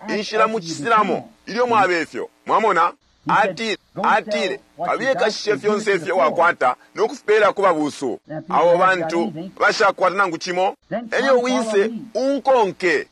Speaker 3: inshila mucisilamo ilyo mwabe ifyo. Mwamona? Atile, atile kabiye kashishe fyonse ifyo wakwata no kufipela ku babusu, abo bantu bashakwata nangu cimo. Elyo wise unkonke,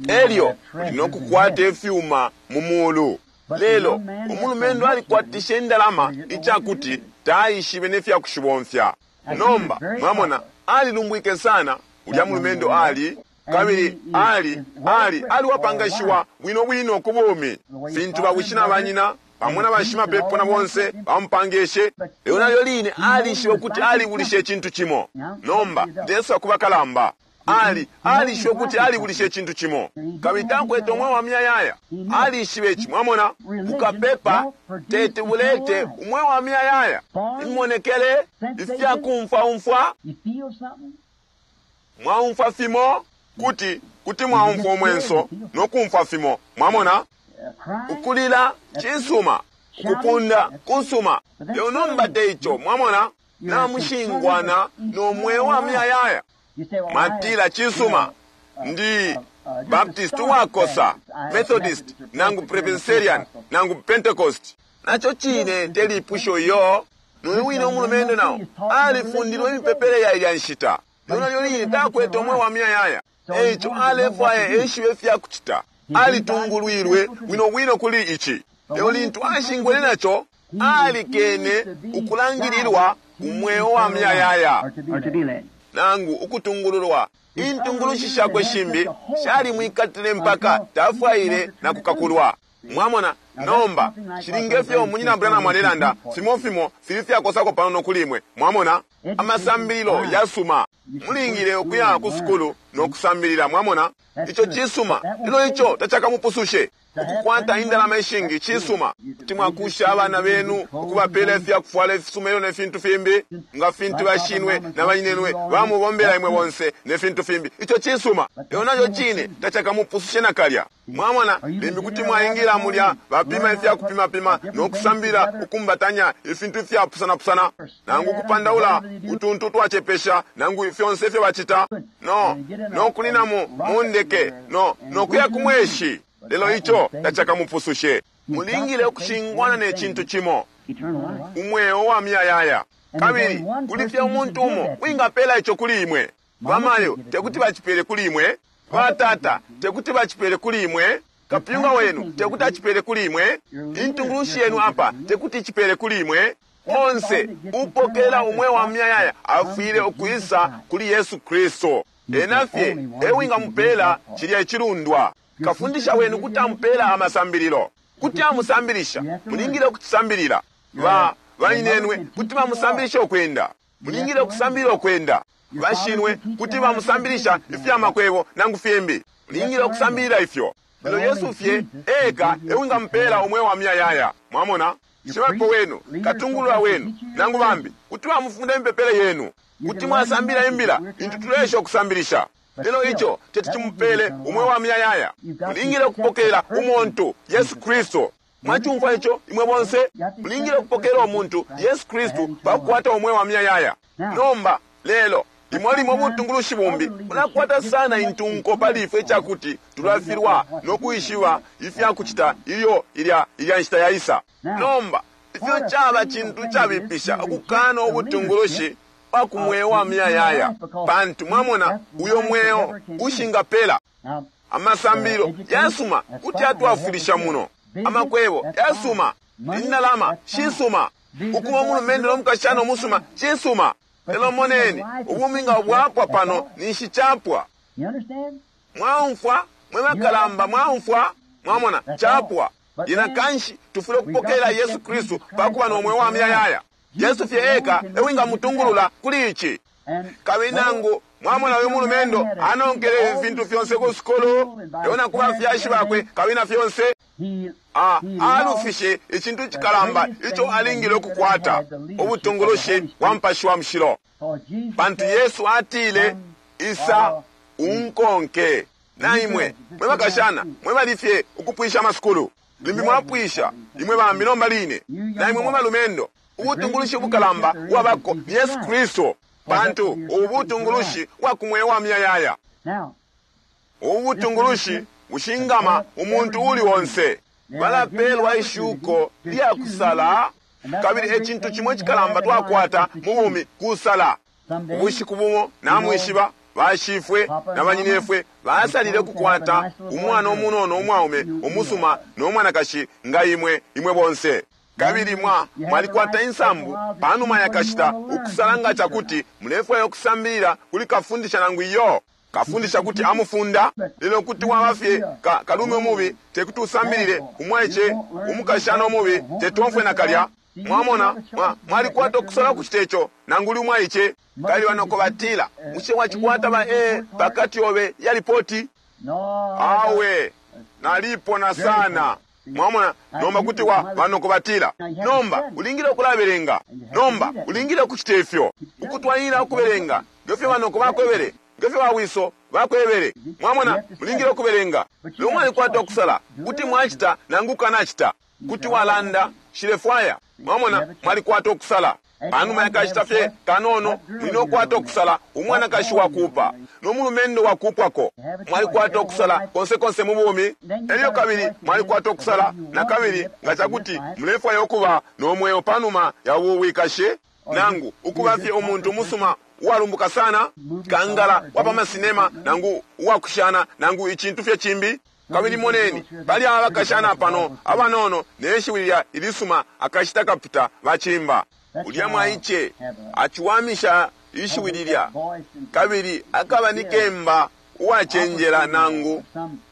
Speaker 3: elyo uli no kukwata ifyuma mu mulu. Lelo umulumendo alikwatishe indalama icakuti taishibe ne fya kushibomfya. Nomba mwamona, alilumbwike sana ulya mulumendo ali, kabili ali ali aliwapangashiwa bwino bwino ku bumi, fintu bawishi na banyina pamo na bashimapepo na bonse bamupangeshe. Lelo nalyo line alishibe ukuti alibulishe icintu cimo. Nomba ndeswa ku bakalamba, ali alishibe ukuti alibulishe icintu cimo, kabili takwete umweo wa muyayaya. Alishibe ici, mwamona. Bukapepa teti bulete umweo wa muyayaya. Imonekele ifyakumfwaumfwa, mwaumfwa fimo, kuti kuti mwaumfwa umwenso no kumfwa fimo, mwamona. Ukulila cisuma, ukupunda kusuma, lelo nomba te ico, mwamona. Namushingwana no mweo wa muyayaya. Mwatila cisuma, ndi Baptist wakosa, Methodist nangu Presbyterian nangu Pentecost. Naco cine te lipusho iyo. Noyo wine umulumendo nao alifundilwe imipepele ya ilya nshita, lelo nalyo line takwete umweo wa muyayaya. Eico alefwaya eshibe ifya kucita. Alitungulwilwe bwino bwino kuli ici, lelo lintu ashingwele naco, alikene ukulangililwa umweo wa muyayaya nangu ukutungululwa. Intungulushi shakwe shimbi shalimwikatile mpaka tafwaile na kukakulwa. Mwamona? Nomba cilinge fyo munyina Branham alelanda, fimo fimo fili fyakosako panono kuli imwe. Mwamona? Amasambililo yasuma, mulingile ukuya ku sukulu no kusambilila. Mwamona? Ico cisuma, lelo ico tacakamupusushe. Ukukwata indalama ishingi cisuma, kuti mwakusha abana benu, ukubapela ifyakufwala ifisuma elyo ne fintu fimbi, nga fintu bashinwe na banyinenwe bamubombela imwe bonse ne fintu fimbi. Ico cisuma, lelo naco cine tacakamupusushe nakalya. Mwamona? Limbi kuti mwaingila mulya bapima ifyakupimapima no kusambilila ukumbatanya ifintu ifyapusanapusana, nangu ukupandaula utuntu twacepesha, nangu fyonse ifyo bacita, no no kuninamo mu ndeke, no no kuya ku mweshi. Lelo ico tacakamupusushe. Mulingile ukushingwana ne cintu cimo, umweo wa muyayaya. Kabili kuli fye umuntu umo wingapela ico kuli imwe. Bamayo tekuti bacipele kuli imwe, batata tekuti bacipele kuli imwe, kapyunga wenu tekuti acipele kuli imwe, intungulushi yenu apa tekuti icipele kuli imwe. Onse upokela umweo wa muyayaya afwile ukwisa kuli Yesu Kristu. Ena fye ewingamupela cilya icilundwa. Kafundisha wenu kuti amupela amasambililo, kuti amusambilisha, mulingile ukucisambilila. Ba banyinenwe kuti bamusambilisha ukwenda, mulingile ukusambilila ukwenda. Bashinwe kuti bamusambilisha ifya makwebo nangu fimbi, mulingile ukusambilila ifyo. Lelo Yesu fye eka ewingamupela umweo wa muyayaya. Mwamona? Shimapepo wenu, katungulula wenu nangu bambi kuti bamufunda imipepele yenu, kuti mwasambilila imbila intu tulesha ukusambilisha, lelo ico teti cimupele umweo wa muyayaya. Mulingile ukupokela umuntu Yesu Kristu. Mwacumfwa ico imwe bonse? Mulingile ukupokela umuntu Yesu Kristu pakukwata umweo wa muyayaya. Nomba lelo limo limo ubutungulushi bumbi bulakwata sana intunko pali ifwe icakuti tulafilwa no kwishiba ifyakucita ilyo ilya ilya nshita yaisa. Nomba ifyo caba cintu cabipisha ukukana ubutungulushi bwa ku mweo wa muyayaya, pantu mwamona uyo mweo ushingapela. Amasambililo yasuma kuti atwafwilisha muno, amakwebo yasuma, indalama shisuma, ukuba umulumendo no mukashana umusuma cisuma. Lelo moneni, ubumi nga bwapwa pano ninshi capwa. Mwaumfwa mwe bakalamba, mwaumfwa, mwamona capwa. Yena kanshi tufwile ukupokela Yesu Kristu pakuba no mweo wa muyayaya. Yesu fye eka ewingamutungulula kuli ici. Kabili nangu mwamona uyu mulumendo anonkele ifintu fyonse ku sukulu, lelo na ku bafyashi bakwe kabili na fyonse, alufishe icintu cikalamba ico alingile ukukwata, ubutungulushi bwa Mupashi wa Mushilo. Pantu Yesu atile, isa unkonke. Na imwe mwe bakashana mwe bali fye ukupwisha amasukulu, limbi mwapwisha imwe bambi nomba line, na imwe mwe balumendo, ubutungulushi bukalamba bwabako ni Yesu Kristu, pantu ubu butungulushi bwa ku mweo wa muyayaya. Ubu butungulushi bushingama umuntu uli onse. Balapelwa ishuko lya kusala, kabili ecintu cimo icikalamba twakwata mu bumi kusala. Ubushiku bumo namwishiba, Bashifwe na banyinefwe basalile ukukwata umwana umunono umwaume umusuma no mwanakashi nga imwe, imwe bonse. Kabili mwa mwalikwata insambu panuma ya kashita ukusala nga cakuti mulefwaya ukusambilila kuli kafundisha nangu iyo. Kafundisha kuti amufunda, lelo kuti waba fye ka, kalume umubi tekuti usambilile, umwaice umukashana umubi tetomfwe nakalya. Mwamona, mwa, mwalikwata ukusala ukucita ico nangu uli umwaice. Kabili banoko batila, bushe wacikwata ba A pakati yobe ya lipoti? Awe, nalipona sana. Mwamona, nomba kuti wa banoko batila, nomba ulingile ukulabelenga, nomba ulingile ukucita ifyo, ukutwalilila ukubelenga ngefyo banoko bakwebele, ngefyo bawiso bakwebele. Mwamona, mulingile ukubelenga. Lelo mwalikwata ukusala, kuti mwacita nangu kukanacita, kuti walanda nshilefwaya. Mwamona, mwalikwata ukusala. Panuma yakashita fye kanono, muli nokukwata ukusala umwanakashi wakuupa no mulumendo wakuupwako. Mwalikwata ukusala konse konse mu bumi. Elyo kabili mwalikwata ukusala na kabili nga cakuti mulefwaya ukuba no mweo panuma ya ubu bwikashi, nangu ukuba fye umuntu umusuma uwalumbuka sana, kangala wa pa masinema, nangu uwakushana, nangu icintu fye cimbi. Kabili moneni, pali aba bakashana pano abanono ne shiwi lilya ilisuma akashita kapita bacimba. Ulya mwaice aciwamisha ishiwi lilya, kabili akaba ni kemba uwacenjela nangu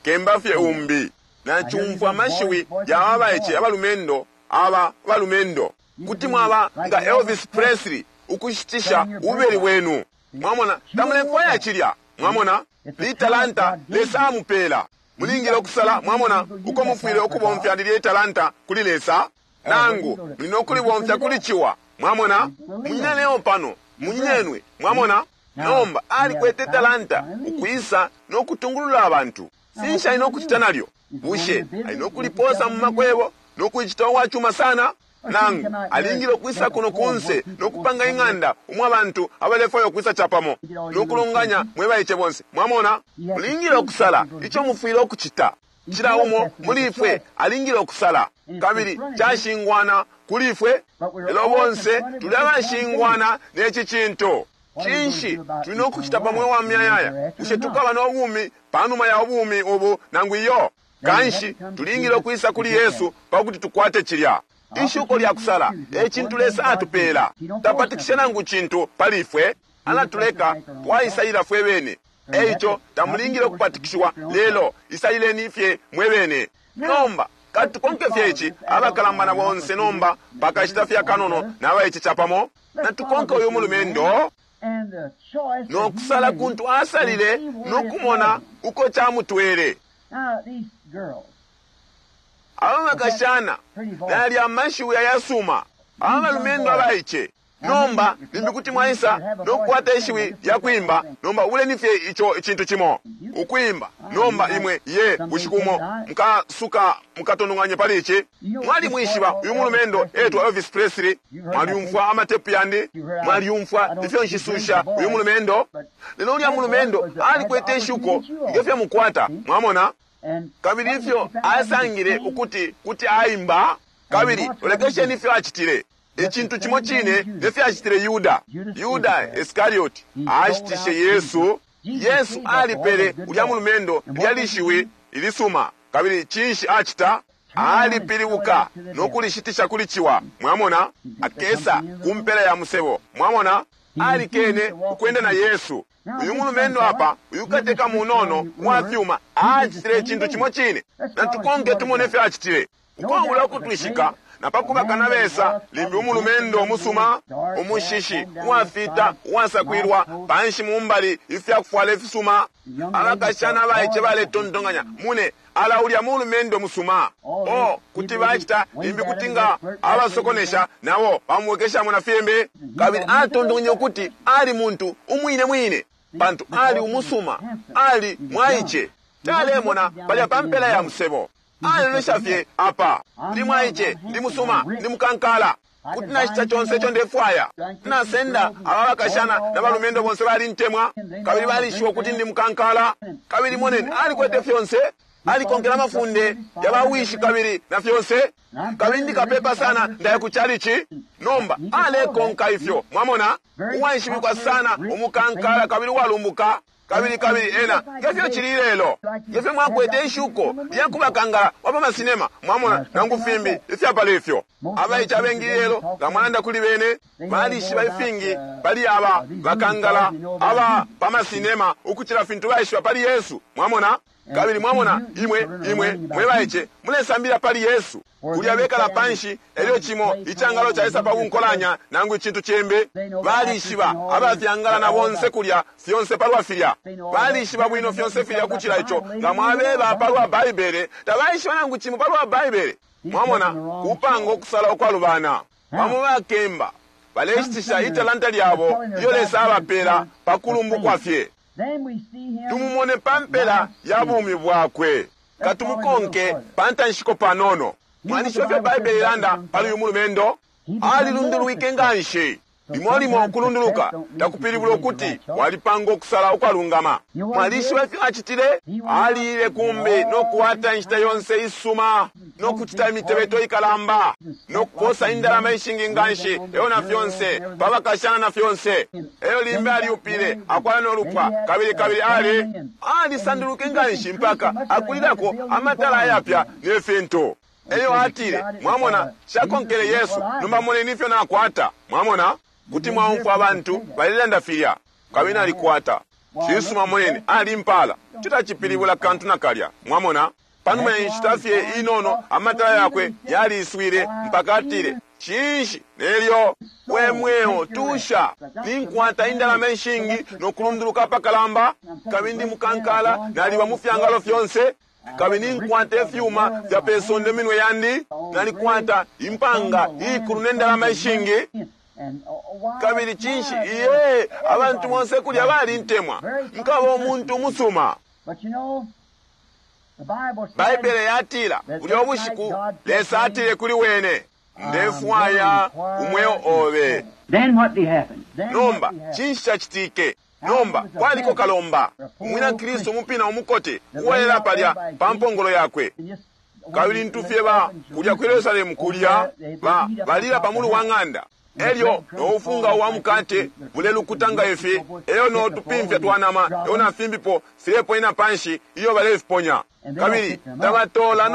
Speaker 3: kemba fye umbi. Nacumfwa amashiwi ya aba baice abalumendo, aba balumendo. Kuti mwaba nga Elvis Presley ukushitisha ububeli bwenu. Mwamona, tamulefwaya cilya. Mwamona, litalanta Lesa amupela. Mulingile ukusala, mwamona, uko mufwile ukubomfya lilye italanta kuli Lesa, nangu muli no kulibomfya kuli ciwa. Mwamona, munyinaneo pano, munyinenwe, mwamona. Nomba alikwete talanta ukwisa no kutungulula abantu. Finshi ali no kucita nalyo? Bushe ali no kuliposa mu makwebo no kuicita uwacuma sana? Nangu alingile ukwisa kuno kunse no kupanga ing'anda umwa abantu abalefwaya ukwisa capamo no kulonganya mwe baice bonse. Mwamona, mulingile ukusala ico mufwile ukucita. Cila umo muli ifwe alingile ukusala, kabili cashingwana kuli ifwe. Lelo bonse tuli abashingwana neci cintu. Cinshi tuli no kucita pa mweo wa muyayaya? Bushe tukaba no bumi panuma ya bumi ubu nangu iyo? Kanshi tulingile ukwisa kuli Yesu pa kuti tukwate cilya ishuko lya kusala. E cintu Lesa atupela. Tapatikisha nangu cintu pali ifwe, alatuleka twaisalila fwe bene. Eico tamulingile ukupatikishiwa, lelo isalileni fye mwe bene. Nomba katukonke fye ici, abakalamba na bonse nomba pakashita fye akanono na baice capamo, natukonke uyu mulumendo no kusala kuntu asalile no kumona uko camutwele. Aba bakashana nali amashiwi ayasuma, aba balumendo abaice. Nomba limbi kuti mwaisa no kukwata ishiwi lya kwimba. Nomba uleni fye ico icintu cimo ukwimba. Nomba imwe ye bushiku umo mukasuka mukatononganye pali ici. Mwalimwishiba uyu mulumendo etwa Elvis Presley. Mwalyumfwa amatepu yandi, mwalyumfwa ifyo nshisusha uyu mulumendo. Lelo ulya mulumendo alikwete ishuko ngefyo mukwata, mwamona. Kabili ifyo asangile ukuti kuti aimba, kabili ulekesheni ifyo acitile. Icintu cimo cine nefyo acitile Yuda. Yuda Iskarioti ashitishe Yesu. Yesu alipele ulya mulumendo lya lishiwi ilisuma, kabili cinshi acita? Alipilibuka no kulishitisha kuli ciwa. Mwamona, akesa ku mpela ya musebo. Mwamona, alikene ukwenda na Yesu. Uyu mulumendo apa, uyu kateka munono wa fyuma, acitile icintu cimo cine. Natukonke tumone ifyo acitile. Ukwabula ukutwishika na pakuba kanabesa, limbi umulumendo umusuma, umushishi uwafita, uwasakwilwa panshi mumbali, ifyakufwala ifisuma. Abakashana abaice baletontonkanya, mune ala ulya mulumendo musuma. O kuti bacita limbi kuti nga abasokonesha nabo bamwekeshamo na fyembe. Kabili atontonkenye ukuti ali muntu umwine mwine, pantu ali umusuma, ali mwaice. Talemona palya pa mpela ya musebo. Alelesha fye apa, ndi mwaice, ndi musuma, ndi mukankala, kuti nacita conse ico ndefwaya. Nasenda aba bakashana na balumendo bonse balintemwa, kabili balishiwa ukuti ndi mukankala. Kabili moneni, alikwete fyonse. Alikonkela amafunde ya bawishi kabili na fyonse. Kabili ndikapepa sana ndaya ku chalichi. Nomba alekonka ifyo, mwamona, uwaishibikwa sana, umukankala kabili uwalumbuka. Kabili kabili ena ngefyo chili lelo, ngefyo mwakwete ishuko lyakubakangala wa pamasinema, mwamona, nangu fimbi ifyapala ifyo. Abaice abengi lelo nga mwalanda kuli bene balishiba ifingi pali aba bakangala aba pamasinema ukuchila fintu baishiba pali Yesu, mwamona. Kabili mwamona imwe imwe mwe baice mulesambila pali Yesu. Kulya bekala panshi elyo chimo ichangalo chaisa pa bunkolanya nangu ichintu chembe. Balishiba abafyangala na bonse kulya fyonse palwa filya. Balishiba bwino fyonse filya kuchila icho nga mwabeba palwa Baibele tabaishiba nangu chimo palwa Baibele. Mwamona kupanga okusala okwalubana. Bamo bakemba baleshitisha italanta lyabo iyo Lesa abapela pakulumbukwa fye. Tumumone pampela ya bumi bwakwe. Katumukonke pantanshiko panono. Mwalishiba fyo Baibele ilanda pali uyu mulumendo? Alilundulwike nganshi. Limo limo ukulunduluka takupilibula ukuti walipanga okusala okwalungama. Mwalishiba ifyo acitile? Aliile kumbi nokuwata inshita yonse isuma, nokucita imitebeto ikalamba, nokuposa indalama ishingi nganshi, eyo na fyonse, pabakashana na fyonse. Eyo limbe aliupile, akwala nolupwa, kabili kabili ali alisanduluke nganshi mpaka akulilako amatala ayapya ne fintu. Eyo atile, mwamona, shakonkele Yesu, nomba moneni ifyo nakwata. Mwamona? Kuti mwaumfwa abantu balelanda filya kabili nalikwata. Cisuma moneni alimpala. Citacipilibula kantu nakalya. Mwamona? Panuma ya nshita fye inono amatala yakwe yaliswile mpaka atile, cinshi nelyo we mweo tusha ninkwata indalama ishingi nokulunduluka apakalamba, kabili ndi mukankala naliba mu fyangalo fyonse, kabili ninkwata ifyuma fya pesonde minwe yandi, nalikwata impanga ikulu nendalama ishingi. Kabili cinshi iye abantu bonse kulya balintemwa, nkaba umuntu umusuma. Baibele yatila bulya ubushiku Lesa atile kuli wene, ndefwaya umweo obe. Nomba cinshi cacitike? Nomba kwaliko kalomba umwina Kristu umupina umukote uwalela palya pa mpongolo yakwe. Kabili ntufye ba kulya ku Yerusalemu kulya ba balila pa mulu wa ng'anda. Elyo noufunga wa mukate bulelukuta nga ifi, elyo notupimfya twanama elyo na fimbipo fileponena panshi iyo balefiponya. Kabili tabatola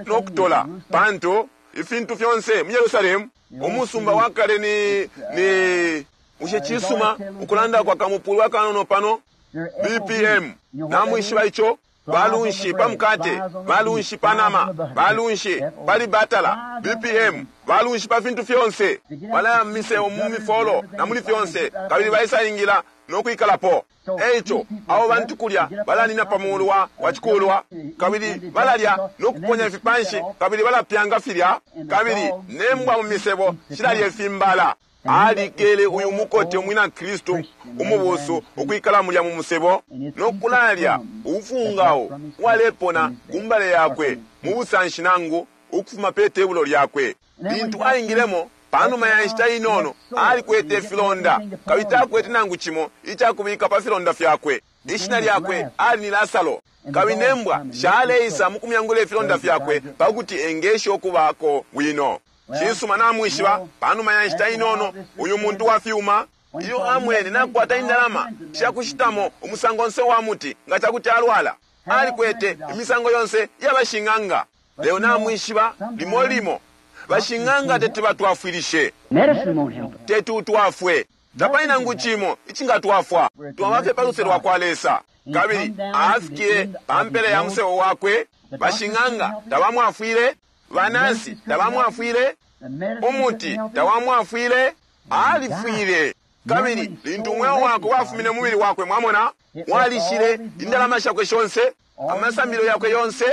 Speaker 3: nokutola pantu ifintu fyonse mu Yerusalemu umusumba wa kale ni ni ushe cisuma ukulanda kwa kamupulu akanono pano BPM namwishiba icho balunshi pa mukate, balunshi pa nama, balunshi pali batala, BPM, balunshi pa fintu fyonse. Balaya mu mu mifolo na muli fyonse, kabili baisaingila nokwikalapo. Eico abo bantu kulya balanina pa mulu wa chikulwa, kabili balalya nokuponya ifipanshi, kabili balapyanga filya, kabili nembwa mu misebo shilalya ifimbala. Alikele uyu mukote umwina Kristu umubusu ukwikala mulya mu musebo nokulalya ubufungao uwalepona kumbale yakwe mu busanshi nangu ukufuma pe tebulo lyakwe. Lintu aingilemo panuma ya nshita inono alikwete ifilonda, kabili takwete nangu cimo icakubika pa filonda fyakwe. Ishina lyakwe ali ni Lasaro, kabili nembwa shaleisa mu kumyangula ifilonda fyakwe pakuti engeshe ukubako bwino. Cisuma namwishiba panuma ya nshita inono uyu muntu wa fyuma iyo amwene nakwata indalama shakushitamo umusango onse wa muti nga cakuti alwala. Alikwete imisango yonse yabashing'anga. Lelo namwishiba limo limo bashing'anga teti batwafwilishe, teti utwafwe, tapali nangu cimo icingatwafwa. Twaba pa luse lwa kwa Lesa. Kabili afikile pa mpela ya musebo wakwe, bashing'anga tabamwafwile, banansi tabamwafwile, umuti tawamwafwile, alifwile. Kabili lintu umweo wakwe wafumine mubili wakwe, mwamona, walishile indalama shakwe shonse, amasambilo yakwe yonse,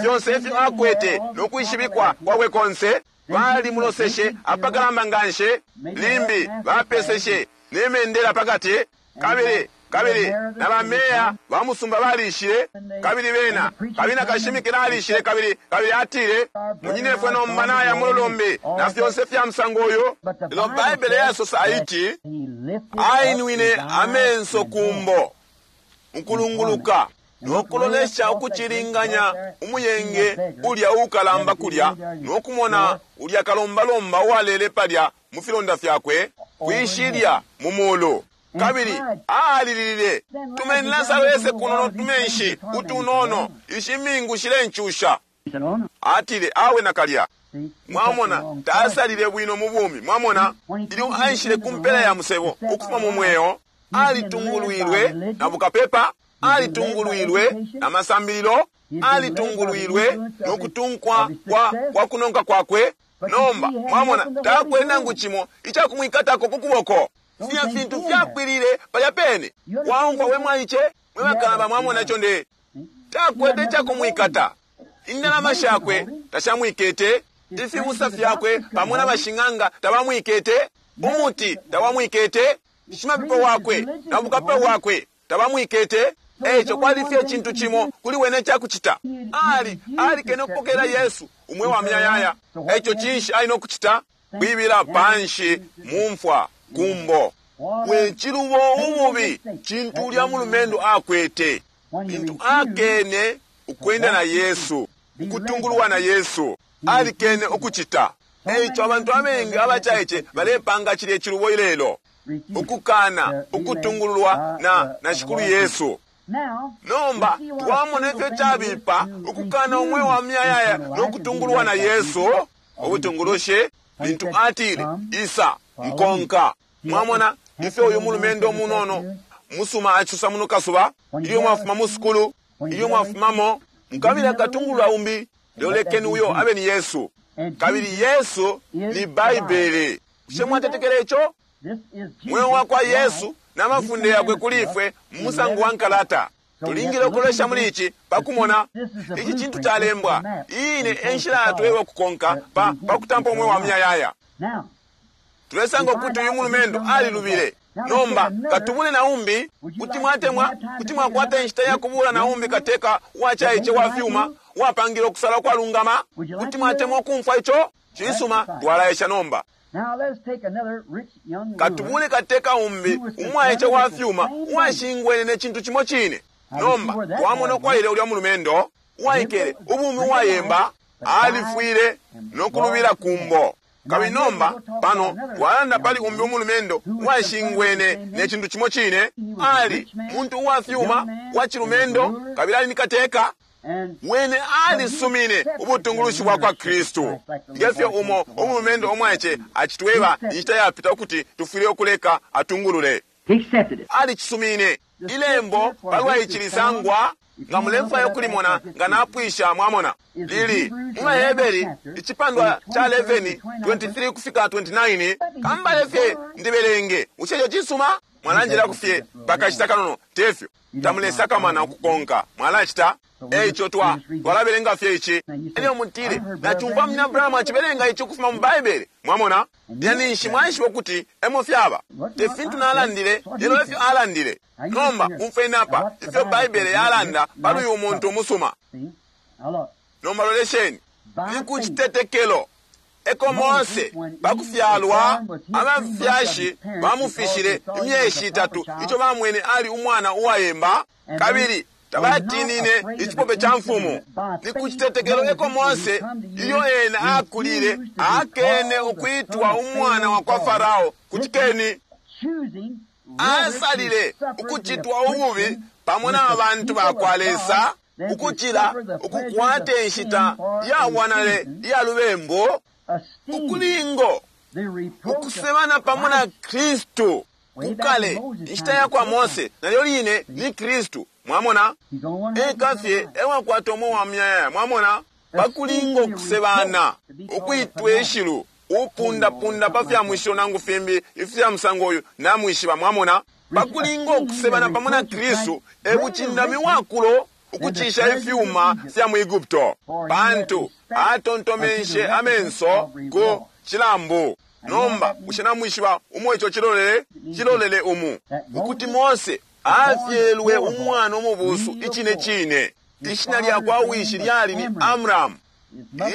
Speaker 3: fyonse ifyo akwete nokwishibikwa kwakwe konse. Balimuloseshe apakalamba nganshi, limbi bapeseshe nemendela pakati. Kabili kabili na bameya ba musumba balishile, kabili bena kabili na kashimikila alishile, kabili kabili atile, munyinefwe nomba naya mululumbi na fyonse fya musango uyu. Lelo Baibele yasosa aiti, ainwine amenso kumbo mukulunguluka. No kulolesha ukucilinganya umuyenge ulya ukalamba kulya, no kumona ulya kalombalomba uwalele palya mu filonda fyakwe kwishilya mu mulu. Kabili alililile, tumeni Lasaro ese kuno no tumenshi utunono, ishi mingu shilencusha. Atile, awe nakalya. Mwamona, tasalile bwino mu bumi. Mwamona, ilyo aishile ku mpela ya musebo ukufuma mu mweo, alitungulwilwe na bukapepa, alitungulwilwe na masambililo, alitungulwilwe no kutunkwa kwa kunonka kwakwe. Nomba mwamona, takwete nangu cimo icakumwikatako ku kuboko. Filya fintu fyapwilile palya pene. Waumfwa we mwaice, mwe bakalamba, mwamona ico nde takwete icakumwikata. Indalama shakwe tashamwikete, ifibusa fyakwe pamo na bashing'anga tabamwikete, umuti tawamwikete, shimapepo wakwe na bukapepa bwakwe tabamwikete. Eco kwali fye icintu cimo kuli wene icakucita. Alikene ukupokela Yesu umweo wa muyayaya. Eco cinshi ali no kucita? Kwibila panshi mumfwa kumbo. We cilubo ububi cintu ulya mulumendo akwete lintu akene ukwenda na Yesu, ukutungulwa na Yesu, alikene ukucita. Eico abantu abengi abacaice balepanga cilya cilubo ilelo, ukukana ukutungululwa na Shikulu Yesu. Nomba twamona ifyo cabipa ukukana umweo wa muyayaya no kutungululwa na Yesu. Ubutungulushi lintu atile, isa nkonka. Mwamona ifyo uyu mulumendo munono musuma acisosa muno kasuba, ilyo mwafuma mu sukulu, ilyo mwafumamo mukabila katungulula umbi, lelo lekeni uyo abe ni Yesu. Kabili Yesu ni Baibele. Bushe mwatetekela ico? Mweo wa kwa Yesu na mafunde yakwe kuli ifwe mu musango wa nkalata. Tulingile ukulolesha muli ici pakumona ici cintu calembwa. Iyi ine e nshila yatweba ukukonka pa pakutampa umweo wa muyayaya. Tulesanga ukuti uyu mulumendo alilubile. Nomba katubule na umbi. Kuti mwatemwa, kuti mwakwata inshita ya kubula na umbi kateka uwacaice wa fyuma uwapangile ukusala kwalungama. Kuti mwatemwa ukumfwa ico? Cisuma, twalaesha nomba. Katubule kateka umbi umwaice wa fyuma uwashingwene ne cintu cimo cine. Nomba twamona ukwaile ulya mulumendo uwaikele ubumi uwayemba, alifwile no kulubila kumbo. Kabili nomba pano twalanda pali umbi umulumendo uwashingwene ne cintu cimo cine. Ali muntu uwa fyuma wa cilumendo, kabili ali ni kateka. Wene alisumine ubutungulushi bwa kwa Kristu. Ngefyo umo umulumendo umwaice acitweba inshita yapita ukuti tufwile ukuleka atungulule. Alicisumine. Ilembo palwa ici lisangwa nga mulefwaya ukulimona nga napwisha, mwamona lili mu Baheberi icipandwa ca 11 23 kufika 29. Kambale fye ndibelenge. Bushe ico cisuma? Mwalanjilako fye pakashita kanono, tefyo tamulesakamana ukukonka, mwalacita. Eico twalabelenga fye ici. Elyo mutile, nacumfwa munyina Abrahamu acibelenga ici ukufuma mu Baibele. Mwamona, lyaninshi mwaishiba ukuti emo fyaba. Te fintu nalandile, lelo efyo alandile. Nomba umfweni apa ifyo Baibele yalanda pali uyu muntu umusuma. Nomba lolesheni, ni ku citetekelo eko Mose pakufyalwa abafyashi bamufishile imyeshi itatu ico bamwene ali umwana uwayemba, kabili tabatinine icipope ca mfumu. Ni ku citetekelo eko Mose ilyo ena akulile akene ukwitwa umwana wa kwa Farao. Kutikeni, asalile ukucitwa ububi pamo na bantu ba kwa Lesa ukucila ukukwata inshita ya bwanale iya lubembo, ukulingo ukusebana pamo na Kristu. Kukale inshita ya kwa Mose nalyo line ni Kristu. Mwamona, eka fye ewakwata umweo wa muyayaya. Mwamona, pakulingo kusebana ukwitwa ishilu upundapunda pa fya mwisho nangu fimbi ifya musango uyu namwishiba. Mwamona, pakulingo kusebana pamo na Kristu ebucindami wakulo ukucisha ifyuma fya mu Egupto, pantu atontomenshe amenso ku cilambu. Nomba bushe namwishiba umo ico cilolele? Cilolele umu ukuti Mose afyelwe umwana umubusu icine cine. Ishina lya kwa wishi lyali ni Amram,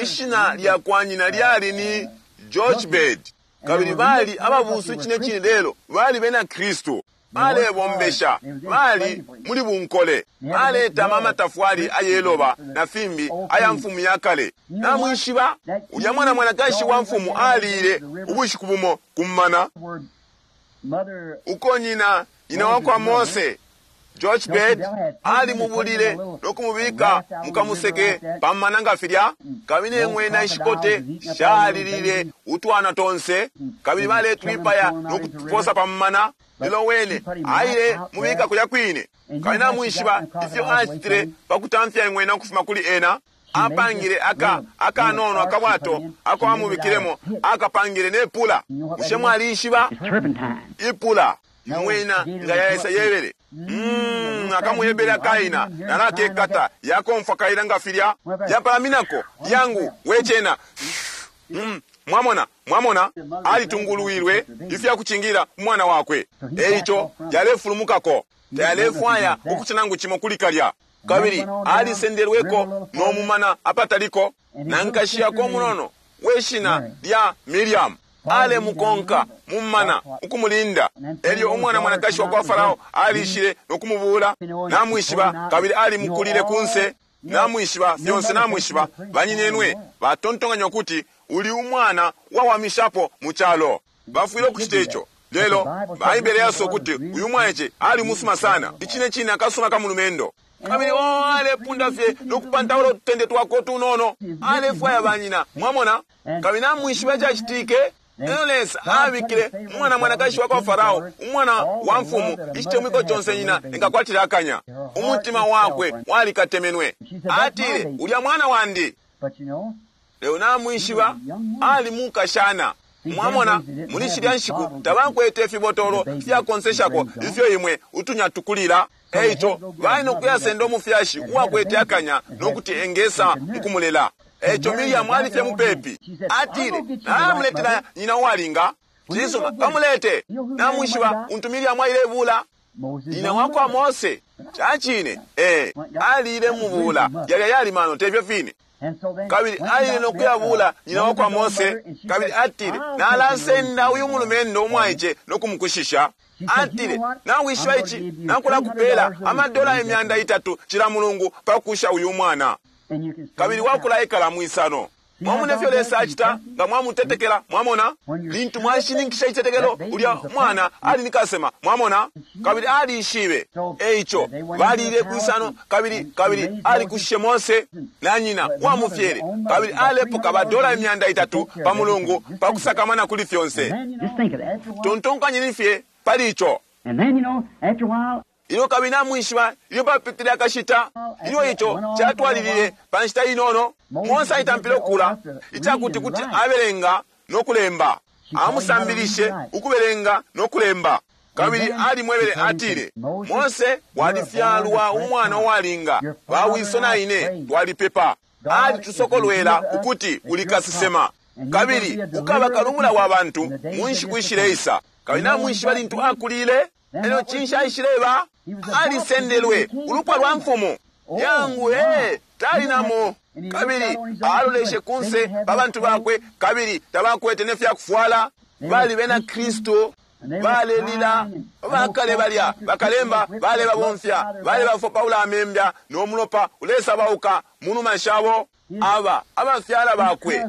Speaker 3: ishina lya kwa nyina lyali ni Jochebed, kabili bali ababusu icine cine, lelo bali bena Kristu. Balebombesha, bali muli bunkole, baletama amatafwali ayeloba na fimbi aya mfumu ya kale. Namwishiba, ulya mwana mwanakashi wa mfumu alile ubushiku bumo kumana uko nyina nyina wa kwa Mose George Bed alimubulile nokumubika mukamuseke pamana nga filya, kabili eng'wena ishikote shalilile utwana tonse, kabili baletwipaya nokutuposa pamana. Lelo wene aile mubika kulya kwine, kabili namwishiba ifyo acitile pakutamfya eng'wena ukufuma kuli ena. Apangile aka akanono akabwato ako amubikilemo, akapangile nepula. Bushe mwalishiba ipula ing'wena nga yaesa yebele akamuyebele kaina nalakekata yakomfwa kaina nga filya yapalaminako yangu wechena. Mwamona, mwamona alitungulwilwe ifyakuchingira umwana wakwe, eicho yalefulumukako tayalefwaya ukucita nangu chimo kuli kalya. Kabili alisendelweko nomumana apataliko na nkashi yako munono weshina lya Miriam alemukonka mumana ukumulinda. Elyo umwana mwanakashi wa kwa Farao alishile nokumubula, namwishiba, kabili alimukulile kunse, namwishiba fyonse, namwishiba. Banyinenwe batontonkanya ukuti uli umwana wawamishapo mu chalo, bafwile ukucita ico. Lelo Baibele yaso ukuti uyu mwaice ali musuma sana, icine cine akasuma kamulumendo. Kabili o alepunda fye nokupantaula ututende twako tunono, alefwaya banyina, mwamona. Kabili namwishiba cacitike. Lelo Lesa abikile umwana mwanakashi wa kwa Farao, umwana wa mfumu, icitemwiko conse nyina engakwatila akanya. Umutima wakwe walikatemenwe, atile ulya mwana wandi. Lelo namwishiba ali mukashana. Mwamona, muli shilya nshiku tabakwete ifibotolo fyakonseshako ifyo imwe utunyatukulila. Eico bali nokuyasenda umufyashi uwakwete akanya nokuti engesa mukumulela. Eico Miriamu alifye mupepi, atile nalamuletela nyina uwalinga. Cisuma, bamulete. Namwishiba untu Miriamu ailebula nyina wakwa Mose. Cacine, alile mubula yalya yali mano tefyo fine. Kabili aile nokuyabula nyina wakwa Mose, kabili atile nalasenda uyu mulumendo umwaice nokumukushisha. Atile nawishiba ici, nakulakupela amadola 300 cila mulungu pakusha uyu mwana, kabili wakulaikala mwisano. Mwamona ifyo Lesa acita nga mwamutetekela. Mwamona lintu mwashininkisha icitetekelo, ulya mwana ali ni kasema. Mwamona, kabili alishibe. Eico balile kwisano, kabili kabili alikushishe Mose na nyina wamufyele, kabili alepoka badola 300 pa mulungu pakusakamana kuli fyonse. Tontonkanyeni fye pali ico. Ilyo kabili namwishiba ilyo papitile akashita, ilyo ico catwalilile pa nshita inono, Mose aitampile ukula icakuti kuti abelenga no kulemba. Amusambilishe ukubelenga no kulemba. Kabili alimwebele atile, Mose, walifyalwa umwana uwalinga, bawiso na ine twalipepa. Alitusokolwela ukuti uli kasesema, kabili ukaba kalubula wa bantu mu nshiku ishileisa. Kabili namwishiba lintu akulile, elyo cinshi aishileba? Alisendelwe ulupwa lwa mfumu yangu, tali namo. Kabili aloleshe kunse pa bantu bakwe, kabili tabakwete nefyakufwala. Bali bena Kristu, balelila bakale balya bakalemba balebabomfya balebafopaula amembya nomulopa ulesabauka munuma shabo. Aba abafyala bakwe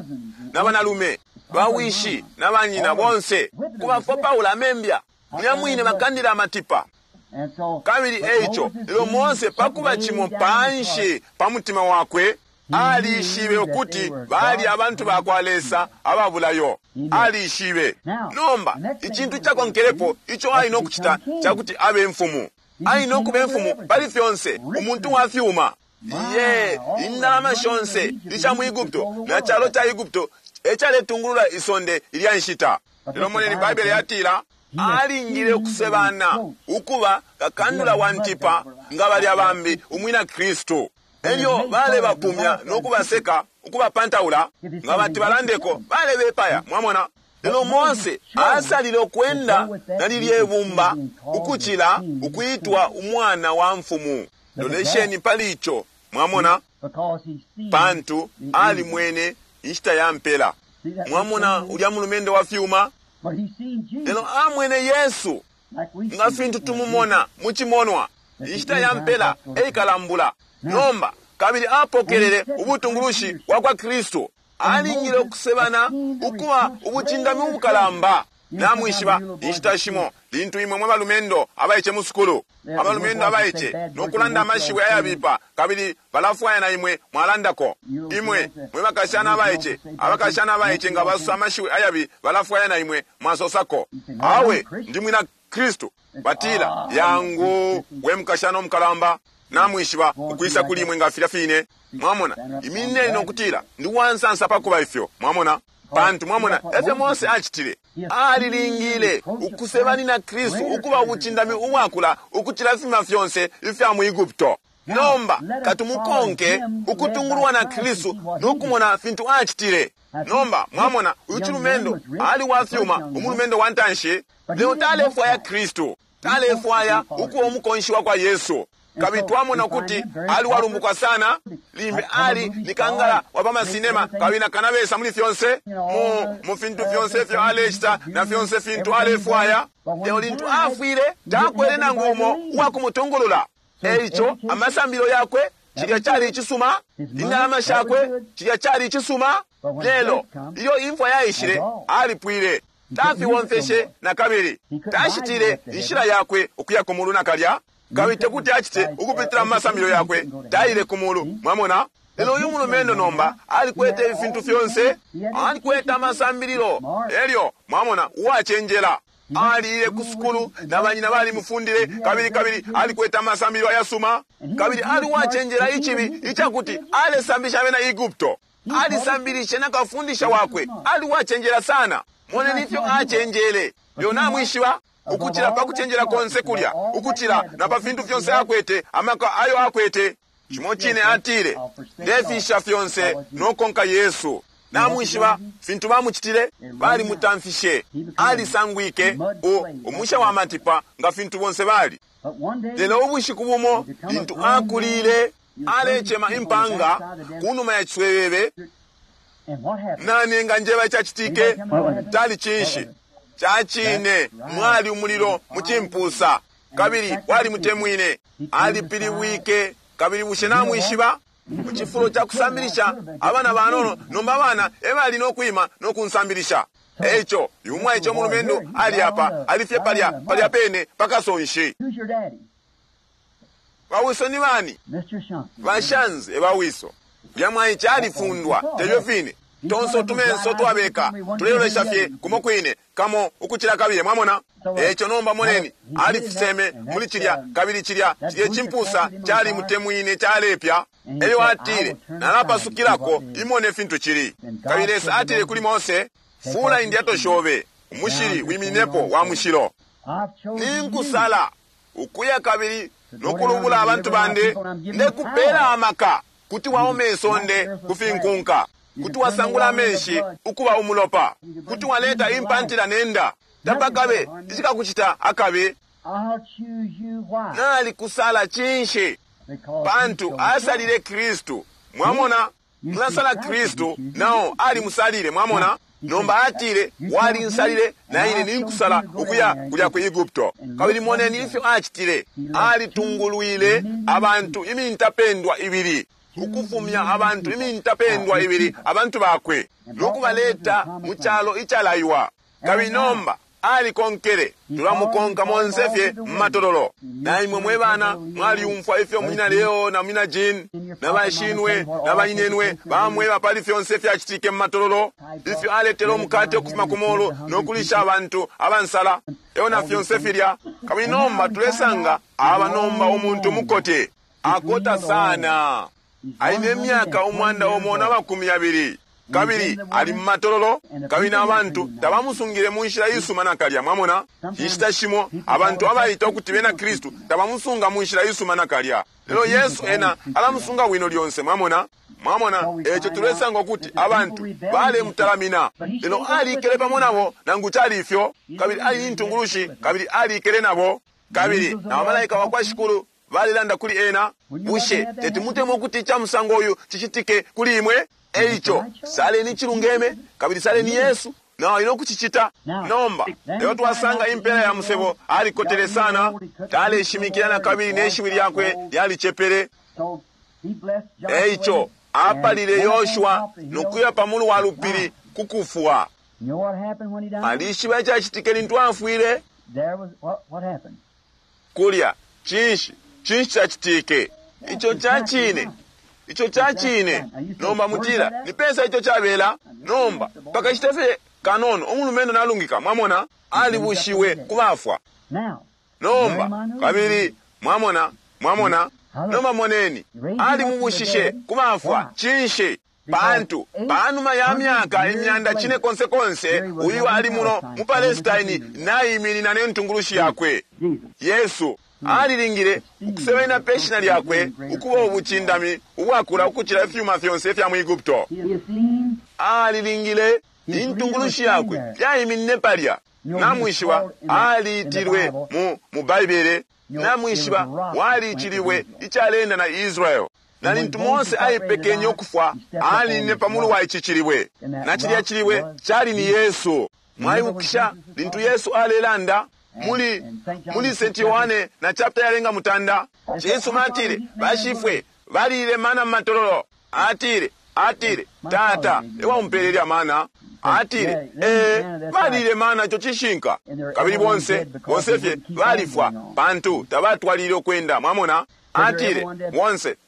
Speaker 3: na banalume bawishi na banyina bonse kubafopaula amembya mulya mwine bakandila amatipa. Kabili eico lelo Mose pakuba cimo panshi pa mutima wakwe alishibe ukuti bali abantu bakwa Lesa ababulayo. Alishibe. Nomba icintu cakonkelepo ico ali nokucita cakuti abe mfumu. Ali nokuba imfumu pali fyonse, umuntu wa fyuma. Ye, indalama shonse isha mu Egupto na calo ca Egupto ecaletungulula isonde ilya nshita. Lelo moneni Baibele yatila alingile ukusebana ukuba kakandula wa ntipa nga balya bambi umwina Kristu. Elyo balebapumya nokubaseka ukubapantaula nga bati balandeko balebepaya. Mwamona, lelo Mose asalile ukwenda na lilye bumba ukucila ukuitwa umwana wa mfumu. Lolesheni pali ico. Mwamona, pantu alimwene inshita ya mpela. Mwamona ulya mulumendo wa fyuma, lelo amwene Yesu. Nga fintu tumumona mu cimonwa, inshita ya mpela eikalambula. Nomba kabili apokelele ubutungulushi bwa kwa Kristu. Alingile ukusebana ukuba ubucindami ubukalamba. Namwishiba inshita shimo lintu imwe mwe balumendo abaice mu sukulu, abalumendo abaice nokulanda amashiwi ayabipa, kabili balafwaya na imwe mwalandako. Imwe mwe bakashana abaice, abakashana abaice nga basosa amashiwi ayabi, balafwaya na imwe mwasosako. Awe ndi mwina Kristu. Batila, yangu we mukashana omukalamba. Namwishiba ukwisa kuli imwe nga filya fine. Mwamona, iminine nokutila ndi wansansa pakuba ifyo. Mwamona, pantu mwamona efyo Mose acitile. Alilingile ukusebanina Kristu ukuba ubucindami ubwakula ukucila ifima fyonse ifya mu Egupto. Nomba katumukonke ukutungulwa na Kristu nokumona fintu acitile. Nomba mwamona uyu cilumendo ali wafyuma, umulumendo wa ntanshi, lelo talefwaya Kristu, talefwaya ukuba umukonshi wa kwa Yesu. Kabili twamona ukuti ali walumbuka sana, limbi ali ni kangala wa pamasinema, kabili nakanabesa muli fyonse mu fintu fyonse ifyo alecita na fyonse fintu alefwaya. Lelo lintu afwile takwele nangu umo uwa kumutungulula. Eico amasambilo yakwe cilya cali icisuma, indalama shakwe cilya cali icisuma, lelo ilyo imfwa yaishile alipwile. Tafiwomfeshe na kabili, tashitile inshila yakwe ukuya ku mulu nakalya. Kabili tekuti acite ukupitila mu masambilo yakwe, taile ku mulu. Mwamona? Lelo uyu mulumendo nomba alikwete ifintu fyonse, alikwete amasambililo. Elyo mwamona uwacenjela aliile ku sukulu na banyina balimufundile, kabili kabili alikwete amasambililo ayasuma, kabili ali uwacenjela icibi icakuti alesambisha abena Egupto. Alisambilishe na kafundisha wakwe, ali uwacenjela sana. Moneni ifyo acenjele. Lelo namwishiba ukucila pa kucenjela konse kulya, ukucila na pa fintu fyonse akwete, amaka ayo akwete. Cimo cine atile, ndefisha fyonse nokonka Yesu. Namwishiba fintu bamucitile, balimutamfishe, alisangwike umusha wa matipa nga fintu bonse bali. Lelo ubushiku bumo lintu akulile, alecema impanga kunuma ya ciswebebe. Nani enganjeba icacitike? Tali cinshi? Cacine mwali umulilo mu cimpusa, kabili walimutemwine. Alipilibwike. Kabili bushe namwishiba mu cifulo ca kusambilisha abana banono, nomba abana ebali nokwima nokunsambilisha. Eico uyu mwaice umulumendo ali apa, ali fye palya palya pene pakasonshi. Bawiso ni bani? Bashanzi ebawiso. Lya mwaice alifundwa tebyo fine. Tonse tumenso twabeka tulelolesha fye kumo kwine kamo ukucila kabili. Mwamona? Eco nomba moneni alifiseme muli cilya, kabili cilya cilye cimpusa cali mutemwine calepya. Elyo atile, nalapasukilako imone fintu cili. Kabili Lesa atile kuli Mose, fula indyato shobe, umushili wiminepo wa mushilo. Ninkusala ukuya kabili nokulubula abantu bandi, ndekupela amaka kuti waome isonde kufinkunka, kuti wasangula amenshi ukuba umulopa, kuti waleta impantila nenda, tapakabe icikakucita akabi. Nalikusala cinshi? Pantu asalile Kristu. Mwamona, mulasala Kristu, nao alimusalile. Mwamona? Nomba atile, walinsalile na ine ninkusala ukuya kulya ku Egupto. Kabili moneni ifyo acitile. Alitungulwile abantu imintapendwa ibili, ukufumya abantu imintapendwa ibili, abantu bakwe, nokubaleta mu calo icalaiwa. Kabili nomba alikonkele, tulamukonka monse fye mu matololo. Na imwe mwe bana mwaliumfwa ifyo munyina Leo na munyina Jean na bashinwe na banyinenwe bamweba pali fyonse fyacitike mu matololo, ifyo aletele umukate ukufuma ku mulu nokulisha abantu abansala, eo na fyonse filya. Kabili nomba tulesanga aba nomba umuntu mukote akota sana, aine myaka 120, kabili ali mu matololo, kabili n'abantu tabamusungile mu nshila isuma nakalya. Mwamona, inshita shimo abantu abaita ukuti bena Kristu tabamusunga mu nshila isuma nakalya, lelo Yesu ena alamusunga bwino lyonse. Mwamona, mwamona eco tulesanga ukuti abantu balemutalamina, lelo alikele pamo nabo nangu cali ifyo, kabili ali ni ntungulushi, kabili alikele nabo, kabili na bamalaika wa kwa Shikulu balelanda kuli ena. Bushe teti mutemwe ukuti ica musango uyu cicitike kuli imwe? Eico saleni icilungeme, kabili saleni Yesu. Na ali no kucicita. Nomba, lelo twasanga impela ya musebo, alikotele sana, taleshimikila na kabili ne shiwi lyakwe lyalicepele.
Speaker 2: So he blessed Joshua.
Speaker 3: Eico, apalile Yoshua no kuya pa mulu wa lupili ku kufwa.
Speaker 2: You know what happened when he died?
Speaker 3: Alishiba icacitike lintu afwile
Speaker 2: There was what happened?
Speaker 3: kulya. Cinshi? Cinshi cacitike? Ico cacine. Ico cacine. Nomba mutila, ni pesa ico cabela? Nomba, pakashita fye kanono, umulumendo nalungika, mwamona, alibushiwe ku bafwa.
Speaker 2: Now,
Speaker 3: Nomba, kabili, mwamona, mwamona, nomba moneni, alimubushishe ku bafwa. Cinshi? Pantu, panuma ya myaka imyanda cine konse konse, uyu ali muno mu Palestine naiminina ne ntungulushi yakwe.
Speaker 2: Jesus.
Speaker 3: Yesu alilingile ukusebenena pe shina lyakwe ukuba ubucindami ubwakula ukucila ifyuma fyonse ifya mu Egupto.
Speaker 2: He has seen
Speaker 3: Alilingile intungulushi yakwe yaiminine palya. Namwishiba aliitilwe mu Baibele, namwishiba waliiciliwe icalenda na Israel. Na lintu Mose aipekenye ukufwa, alinine pa mulu wa ici cilibwe. Na cilya cilibwe cali ni Yesu. Mwaibukisha lintu Yesu alelanda muli St. Yohane na chapter yalenga mutanda. Yesu atile, bashifwe balile mana mu matololo. Atile, tata ewamumpelele mana. Atile, balile mana ico cishinka. Kabili bonse fye balifwa pantu tabatwalile ukwenda, mwamona. Atile,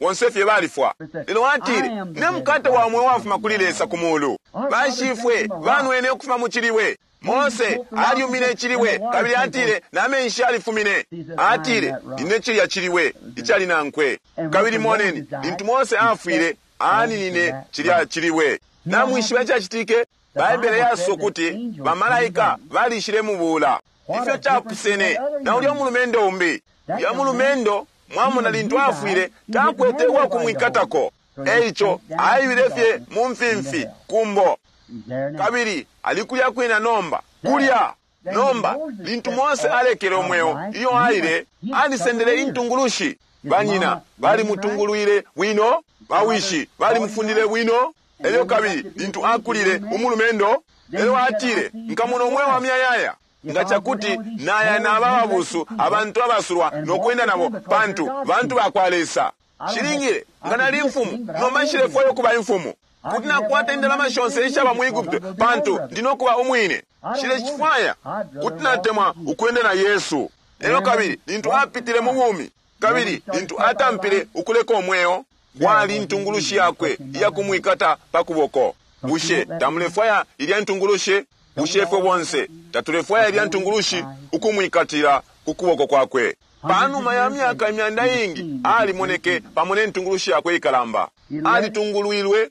Speaker 3: bonse fye balifwa. Lelo atile, ne mukate wa mweo wafuma kuli Lesa ku mulu. Bashifwe banwene ukufuma mu cilibwe. Mose aliumine icilibwe kabili atile na menshi alifumine. Atile ine cilya cilibwe icali nankwe. Kabili moneni lintu Mose afwile aninine cilya cilibwe. Namwishiba icacitike? Baibele yasosa ukuti bamalaika balishile mubuula. Ifyo capusene na ulya mulumendo umbi. Ulya mulumendo mwamona lintu afwile takwete uwakumwikatako. Eico aibile fye mu mfimfi kumbo.
Speaker 2: He's there now.
Speaker 3: Kabili alikulya kwina nomba kulya nomba lintu Mose alekele umweo iyo aile alisendele intungulushi. Banyina balimutungulwile bwino, bawishi balimufundile bwino. Elyo kabili lintu akulile umulumendo, elyo atile nkamona umweo wa myayaya nga cakuti naya naba babusu abantu abasulwa nokwenda nabo pantu bantu bakwa Lesa. Shilingile nga nali imfumu, nomba nshilefwayo kuba imfumu. Kuti nakwata indalama shonse ishaba mu Egupto pantu ndinokuba umwine. Nshilefwaya kuti natemwa ukwenda na Yesu. Elyo kabili lintu apitile mu bumi, kabili lintu atampile ukuleka umweo, kwali intungulushi yakwe iyakumwikata pa kuboko. Bushe tamulefwaya ilya ntungulushi? Bushe ifwe bonse tatulefwaya ilya ntungulushi ukumwikatila ku kuboko kwakwe? Panuma ya myaka imyanda iingi alimoneke pamo ne ntungulushi yakwe ikalamba. Alitungulwilwe,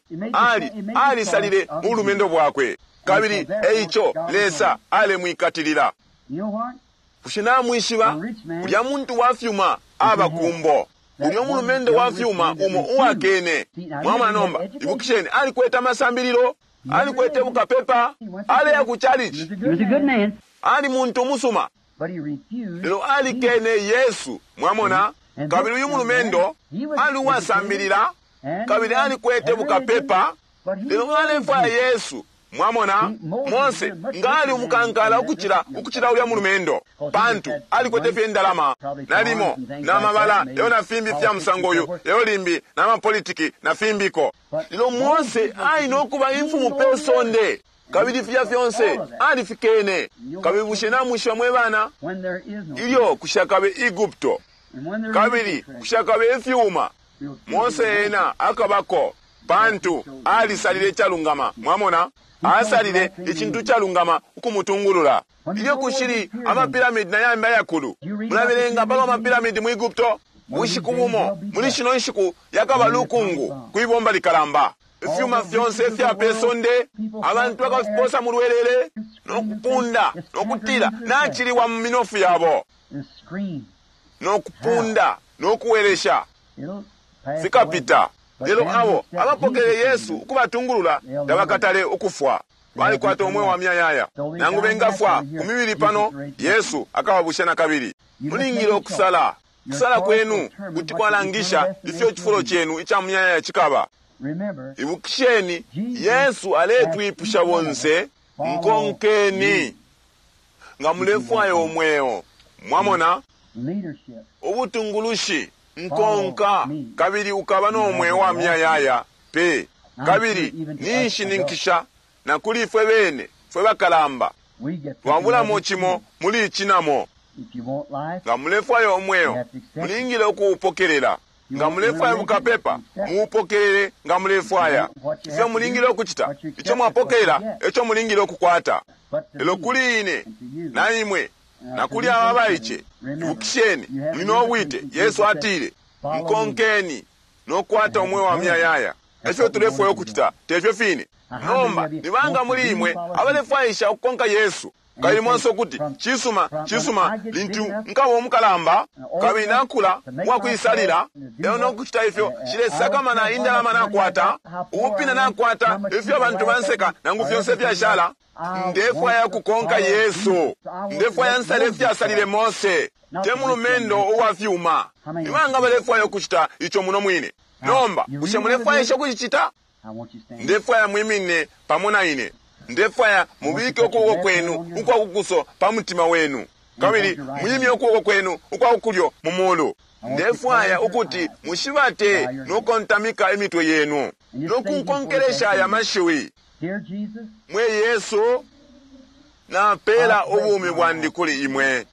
Speaker 3: alisalile mu bulumendo bwakwe. Kabili eico Lesa alemwikatilila.
Speaker 2: You know what?
Speaker 3: Bushe namwishiba ulya muntu wa fyuma aba kumbo. Ulya mulumendo wa fyuma umo uwakene. Mwamona nomba, ibukisheni alikwete amasambililo, alikwete bukapepa, aleya ku chalichi,
Speaker 2: He was a good man,
Speaker 3: ali muntu umusuma.
Speaker 2: but he refused.
Speaker 3: Lelo alikene Yesu, mwamona. Kabili uyu mulumendo ali uwasambilila, kabili alikwete bukapepa, lelo alefwaya Yesu. Mwamona, Mose nga ali umukankala ukucila ulya mulumendo, pantu alikwete fye indalama, nalimo na mabala lelo na fimbi fya musango uyu, lelo limbi na mapolitiki na fimbiko. Lelo Mose ali nokuba imfumu pe sonde, kabili filya fyonse alifikene. Kabili bushe namwishiba mwe bana,
Speaker 2: When there is no
Speaker 3: ilyo kushakabe Egupto,
Speaker 2: and when there is
Speaker 3: kabili
Speaker 2: no treasure,
Speaker 3: kushakabe ifyuma,
Speaker 2: we'll
Speaker 3: Mose ena akabako pantu alisalile icalungama. Mwamona, asalile icintu calungama ukumutungulula. Ilyo kushili amapiramidi na yambi ayakulu, mulabelenga palwa mapiramidi mu Egupto. Bushiku bumo muli shino nshiku yakaba lukungu kwibomba likalamba. Ifyuma fyonse ifya pe sonde abantu bakafiposa mu lwelele nokupunda nokutila nachiliwa mu minofu yabo,
Speaker 2: and scream.
Speaker 3: nokupunda nokuwelesha
Speaker 2: It'll pass
Speaker 3: fikapita.
Speaker 2: away.
Speaker 3: Lelo abo abapokele Yesu ukubatungulula tabakatale ukufwa. Balikwata umweo wa myayaya. Nangu bengafwa ku mibili pano, Yesu akababusha na kabili. Mulingile ukusala. Kusala kwenu kuti kwalangisha ifyo icifulo cenu ica muyayaya cikaba.
Speaker 2: Remember,
Speaker 3: Ibukisheni, Yesu aletwipusha bonse, Nkonkeni nga mulefwaya umweo. Mwamona? Ubutungulushi, nkonka, kabili ukaba no mweo wa muyayaya pe. Kabili ninshininkisha na kuli ifwe bene fwe bakalamba twabulamo cimo muli ici namo. Nga mulefwaya umweo, mulingile ukuupokelela. Nga mulefwaya bukapepa, muupokelele. Nga mulefwaya ifyo mulingile ukucita, ico mwapokelela eco mulingile ukukwata. Lelo kuli ine na imwe na kuli aba abaice, ibukisheni, muli no bwite. Yesu atile, nkonkeni no kukwata umweo wa muyayaya. Efyo tulefwaya ukucita, tefyo fine? Nomba ni banga muli imwe abalefwaisha ukukonka Yesu? Kabili monse ukuti, Cisuma, cisuma, lintu nkaba umukalamba kabili nakula uwakwisalila, lelo no kucita ifyo, nshilesakamana indalama nakwata, ubupina nakwata, ifyo abantu banseka, nangu fyonse ifyashala. Ndefwaya ukukonka Yesu. Ndefwaya nsale ifyasalile Mose, te mulumendo uwa fyuma. Ni banga balefwaya ukucita ico muno mwine? Nomba, bushe mulefwaisha ukucicita? Ndefwaya mwimine pamo na ine. Ndefwaya mubike ukuboko kwenu ukwa kukuso pa mutima wenu, kabili mwimye ukuboko kwenu ukwa kukulyo mu mulu. Ndefwaya ukuti mushibate no kontamika imitwe yenu no kunkonkelesha aya mashiwi. Mwe Yesu, napeela ubumi bwandi kuli imwe.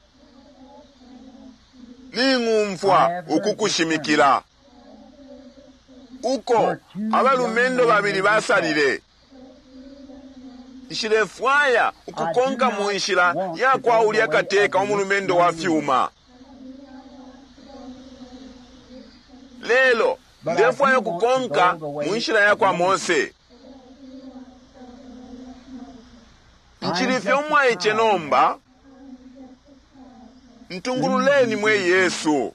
Speaker 3: Ning'umfwa ukukushimikila uko abalumendo babili basalile. Nshilefwaya ukukonka mu nshila ya kwa ulya kateka umulumendo wa fyuma. Lelo ndefwaya ukukonka mu nshila ya kwa Mose. Ncili fye umwaice nomba. Ntungululeni mwe Yesu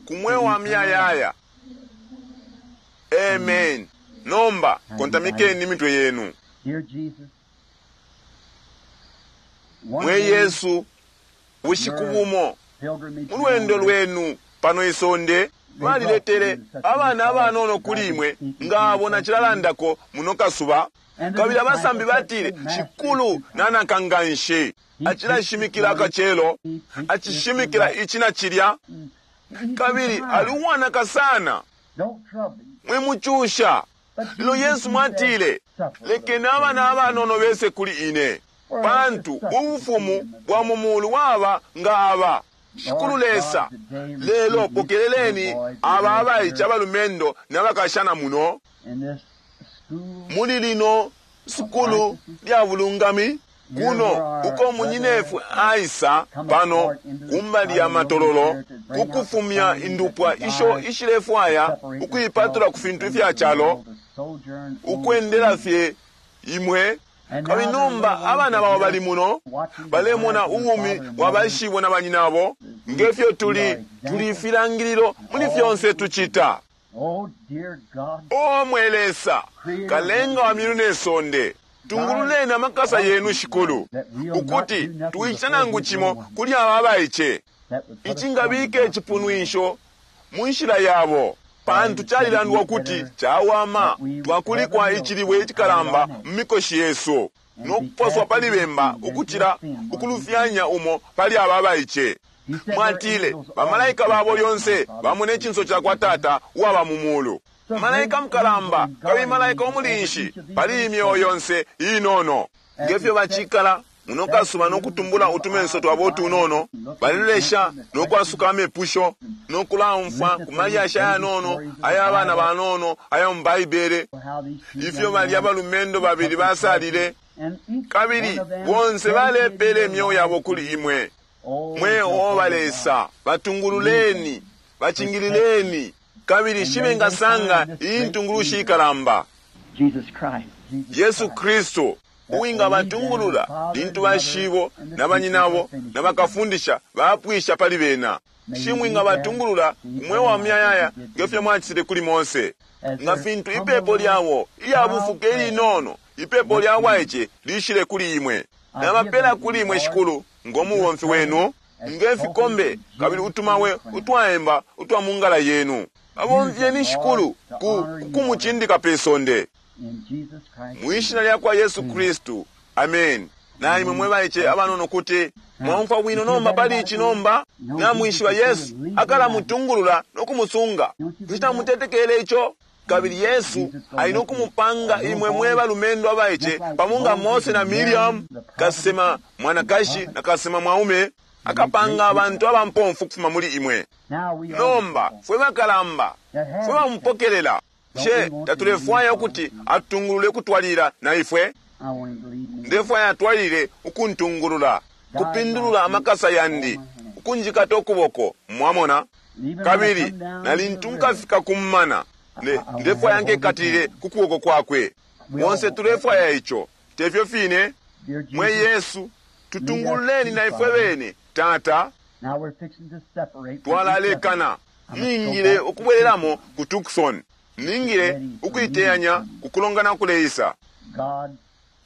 Speaker 3: ku mweo wa muyayaya. Amen. Nomba kontamikeni imitwe yenu. Mwe Yesu, bushiku bumo mu lwendo lwenu pano isonde baliletele abana abanono kuli imwe nga abo nacilalandako muno kasuba. Kabili abasambi batile, Shikulu nanaka nganshi, acilashimikila akacelo, acishimikila ici na cilya, kabili ali uwanaka sana, mwimucusha. Lelo Yesu mwatile, lekeni abana abanono bese kuli ine, pantu ubufumu bwa mu mulu waba nga aba. Shikulu Lesa, lelo pokeleleni aba abaice abalumendo n'abakashana muno muli lino sukulu lya bulungami kuno uko munyinefwe aisa pano kumbali ya matololo kukufumya indupwa isho ishilefwaya ukuipatula ku fintu ifya calo, ukwendela fye imwe. Kabili nomba abana babo bali muno balemona ubumi bwa bashibo na banyinabo, ngefyo tuli tuli ifilangililo muli fyonse tucita. O mwe Lesa, kalenga wa myulu ne sonde, tungululeni amakasa yenu Shikulu, ukuti twicita nangu cimo kuli aba abaice icingabika icipunwisho mu nshila yabo, pantu calilandwa ukuti cawama twakulikwa icilibwe icikalamba mu mikoshi yesu no kuposwa pali bemba ukucila ukulufyanya umo pali aba abaice. Mwatile bamalaika babo lyonse bamona icinso ca kwa Tata uwaba mu mulu. Malaika mukalamba kabili malaika umulinshi pali imyeo yonse inono. Ngefyo bacikala muno kasuba no kutumbula utumenso twabo utunono, balilolesha no kwasuka amepusho no kulaumfwa ku malyashi ayanono aya bana banono aya mu Baibele, ifyo balya abalumendo babili basalile, kabili bonse balepele imyeo yabo kuli imwe. Mwe Yehova Lesa, batungululeni, bacingilileni, kabili shibengasanga iyi ntungulushi ikalamba, Yesu Kristu, uwingabatungulula lintu bashibo na banyinabo na bakafundisha bapwisha pali bena. Shimwingabatungulula ku mweo wa muyayaya ngefyo mwacitile kuli Mose. Nga fintu ipepo lyabo ilya bufuke ilinono, ipepo lya bwaice lishile kuli imwe. Nabapela kuli imwe Shikulu, ngo mubomfi wenu, nge fikombe kabili utumawe utwaemba utwa mu ngala yenu. Babomfyeni Shikulu ku kumucindika pe sonde.
Speaker 2: In Jesus Christ's
Speaker 3: Mwishina lya kwa Yesu Kristu, amen. Na imwe mwe baice abanono kuti mwaumfwa bwino nomba pali ici nomba namwishiba Yesu akalamutungulula no kumusunga. Kuti tamutetekele ico? Kabili Yesu ali no kumupanga imwe mwe balumendo abaice pamo nga Mose na Miriam, kasema mwanakashi na kasema mwaume, akapanga abantu abampomfu kufuma muli imwe.
Speaker 2: Now we are
Speaker 3: Nomba fwe bakalamba fwe bamupokelela, she tatulefwaya ukuti atutungulule kutwalila na ifwe?
Speaker 2: I want him to lead me.
Speaker 3: Ndefwaya atwalile ukuntungulula, kupindulula amakasa yandi, ukunjikata ukuboko, mwamona?
Speaker 2: Even when I
Speaker 3: Kabili
Speaker 2: come down
Speaker 3: na
Speaker 2: to the
Speaker 3: lintu
Speaker 2: river,
Speaker 3: nkafika kummana, ndefwaya nkekatilile ku kuboko kwakwe. Bonse tulefwaya ico, tefyo fine?
Speaker 2: dear
Speaker 3: Mwe
Speaker 2: Jesus,
Speaker 3: Yesu, tutungululeni na ifwe bene, Tata.
Speaker 2: now we're fixing to separate from each other.
Speaker 3: Twalalekana. Ningile ukubwereramo ku Tucson. Ningile ukuiteyanya kukulongana kuleisa.
Speaker 2: God,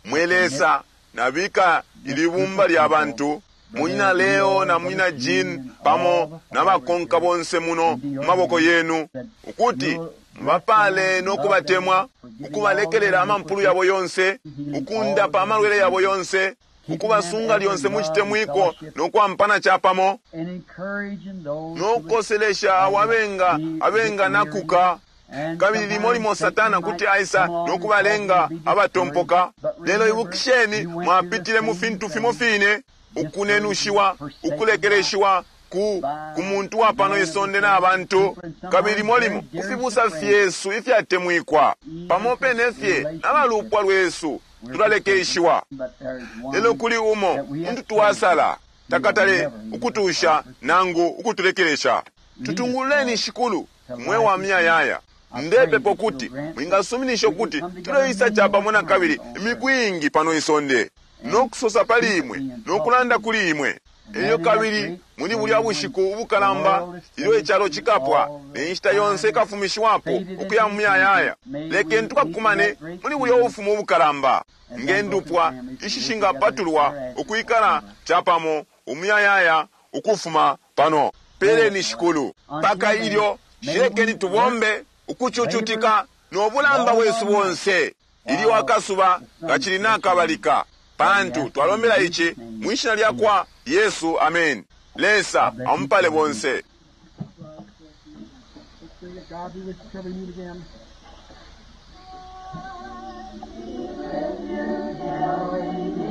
Speaker 3: Mwe Lesa, nabika ilibumba lya bantu, munyina Leo na munyina Jean pamo n'abakonka bonse muno mu maboko yenu, ukuti mubapale n'okubatemwa, ukubalekelela amampulu yabo yonse, ukundapa amalwele yabo yonse, ukubasunga lyonse mu chitemwiko n'okwampana chapamo,
Speaker 2: and encouraging those who would
Speaker 3: n'okukoselesha abo abenga abenganakuka.
Speaker 2: and
Speaker 3: Kabili limo limo
Speaker 2: sometimes
Speaker 3: Satana
Speaker 2: Satan
Speaker 3: kuti
Speaker 2: might
Speaker 3: aisa
Speaker 2: come along and
Speaker 3: n'okubalenga
Speaker 2: cause you to be
Speaker 3: abatompoka.
Speaker 2: discouraged. But
Speaker 3: Lelo
Speaker 2: remember,
Speaker 3: ibukisheni
Speaker 2: you went through the
Speaker 3: mwapitile mu
Speaker 2: same
Speaker 3: fintu
Speaker 2: thing.
Speaker 3: fimo fine, ukunenushiwa, ukulekeleshiwa ku ku muntu wa pano isonde n'abantu, kabili limo limo ku fibusa fyesu ifyatemwikwa, pamo pene fye n'abalupwa lwesu tulalekeshiwa.
Speaker 2: But there's one
Speaker 3: Lelo kuli umo muntu twasala takatale ukutusha nangu ukutulekelesha. Tutungululeni Shikulu mwe wa miyayaya. Ndepepa kuti mwingasuminisha ukuti tuleisa chapamo na kabili imiku ingi pano isonde, nokusosa pali imwe nokulanda kuli imwe. Elyo kabili muli bulya bushiku ubukalamba ilyo icalo cikapwa ne nshita yonse ikafumishiwapo ukuya mu muyayaya, lekeni tukakumane muli bulya ubufumu ubukalamba nge ndupwa ishishingapatulwa ukwikala chapamo umuyayaya ukufuma pano. Peleni Shikulu paka ilyo shilekeni tubombe ukucucutika n'obulamba bwesu bonse ilyo akasuba kachili nakabalika, pantu twalombela ichi mwishina lya kwa Yesu, amen. Lesa amupale bonse.
Speaker 1: Let's sing it. God be with you till we meet again. Till we meet.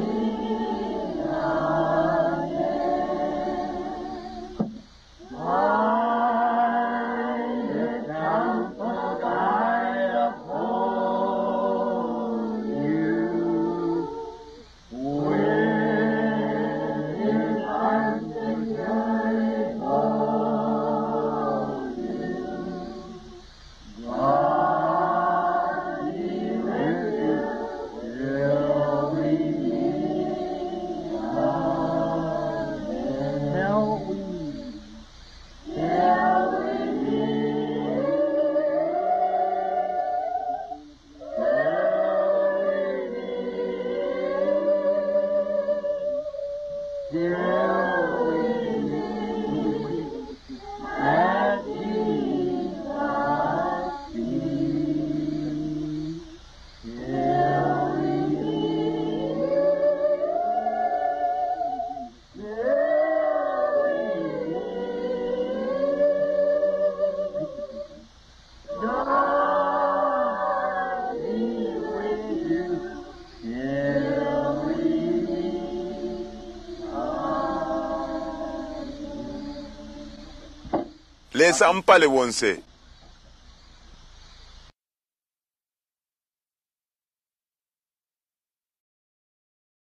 Speaker 3: Lesa amupale bonse.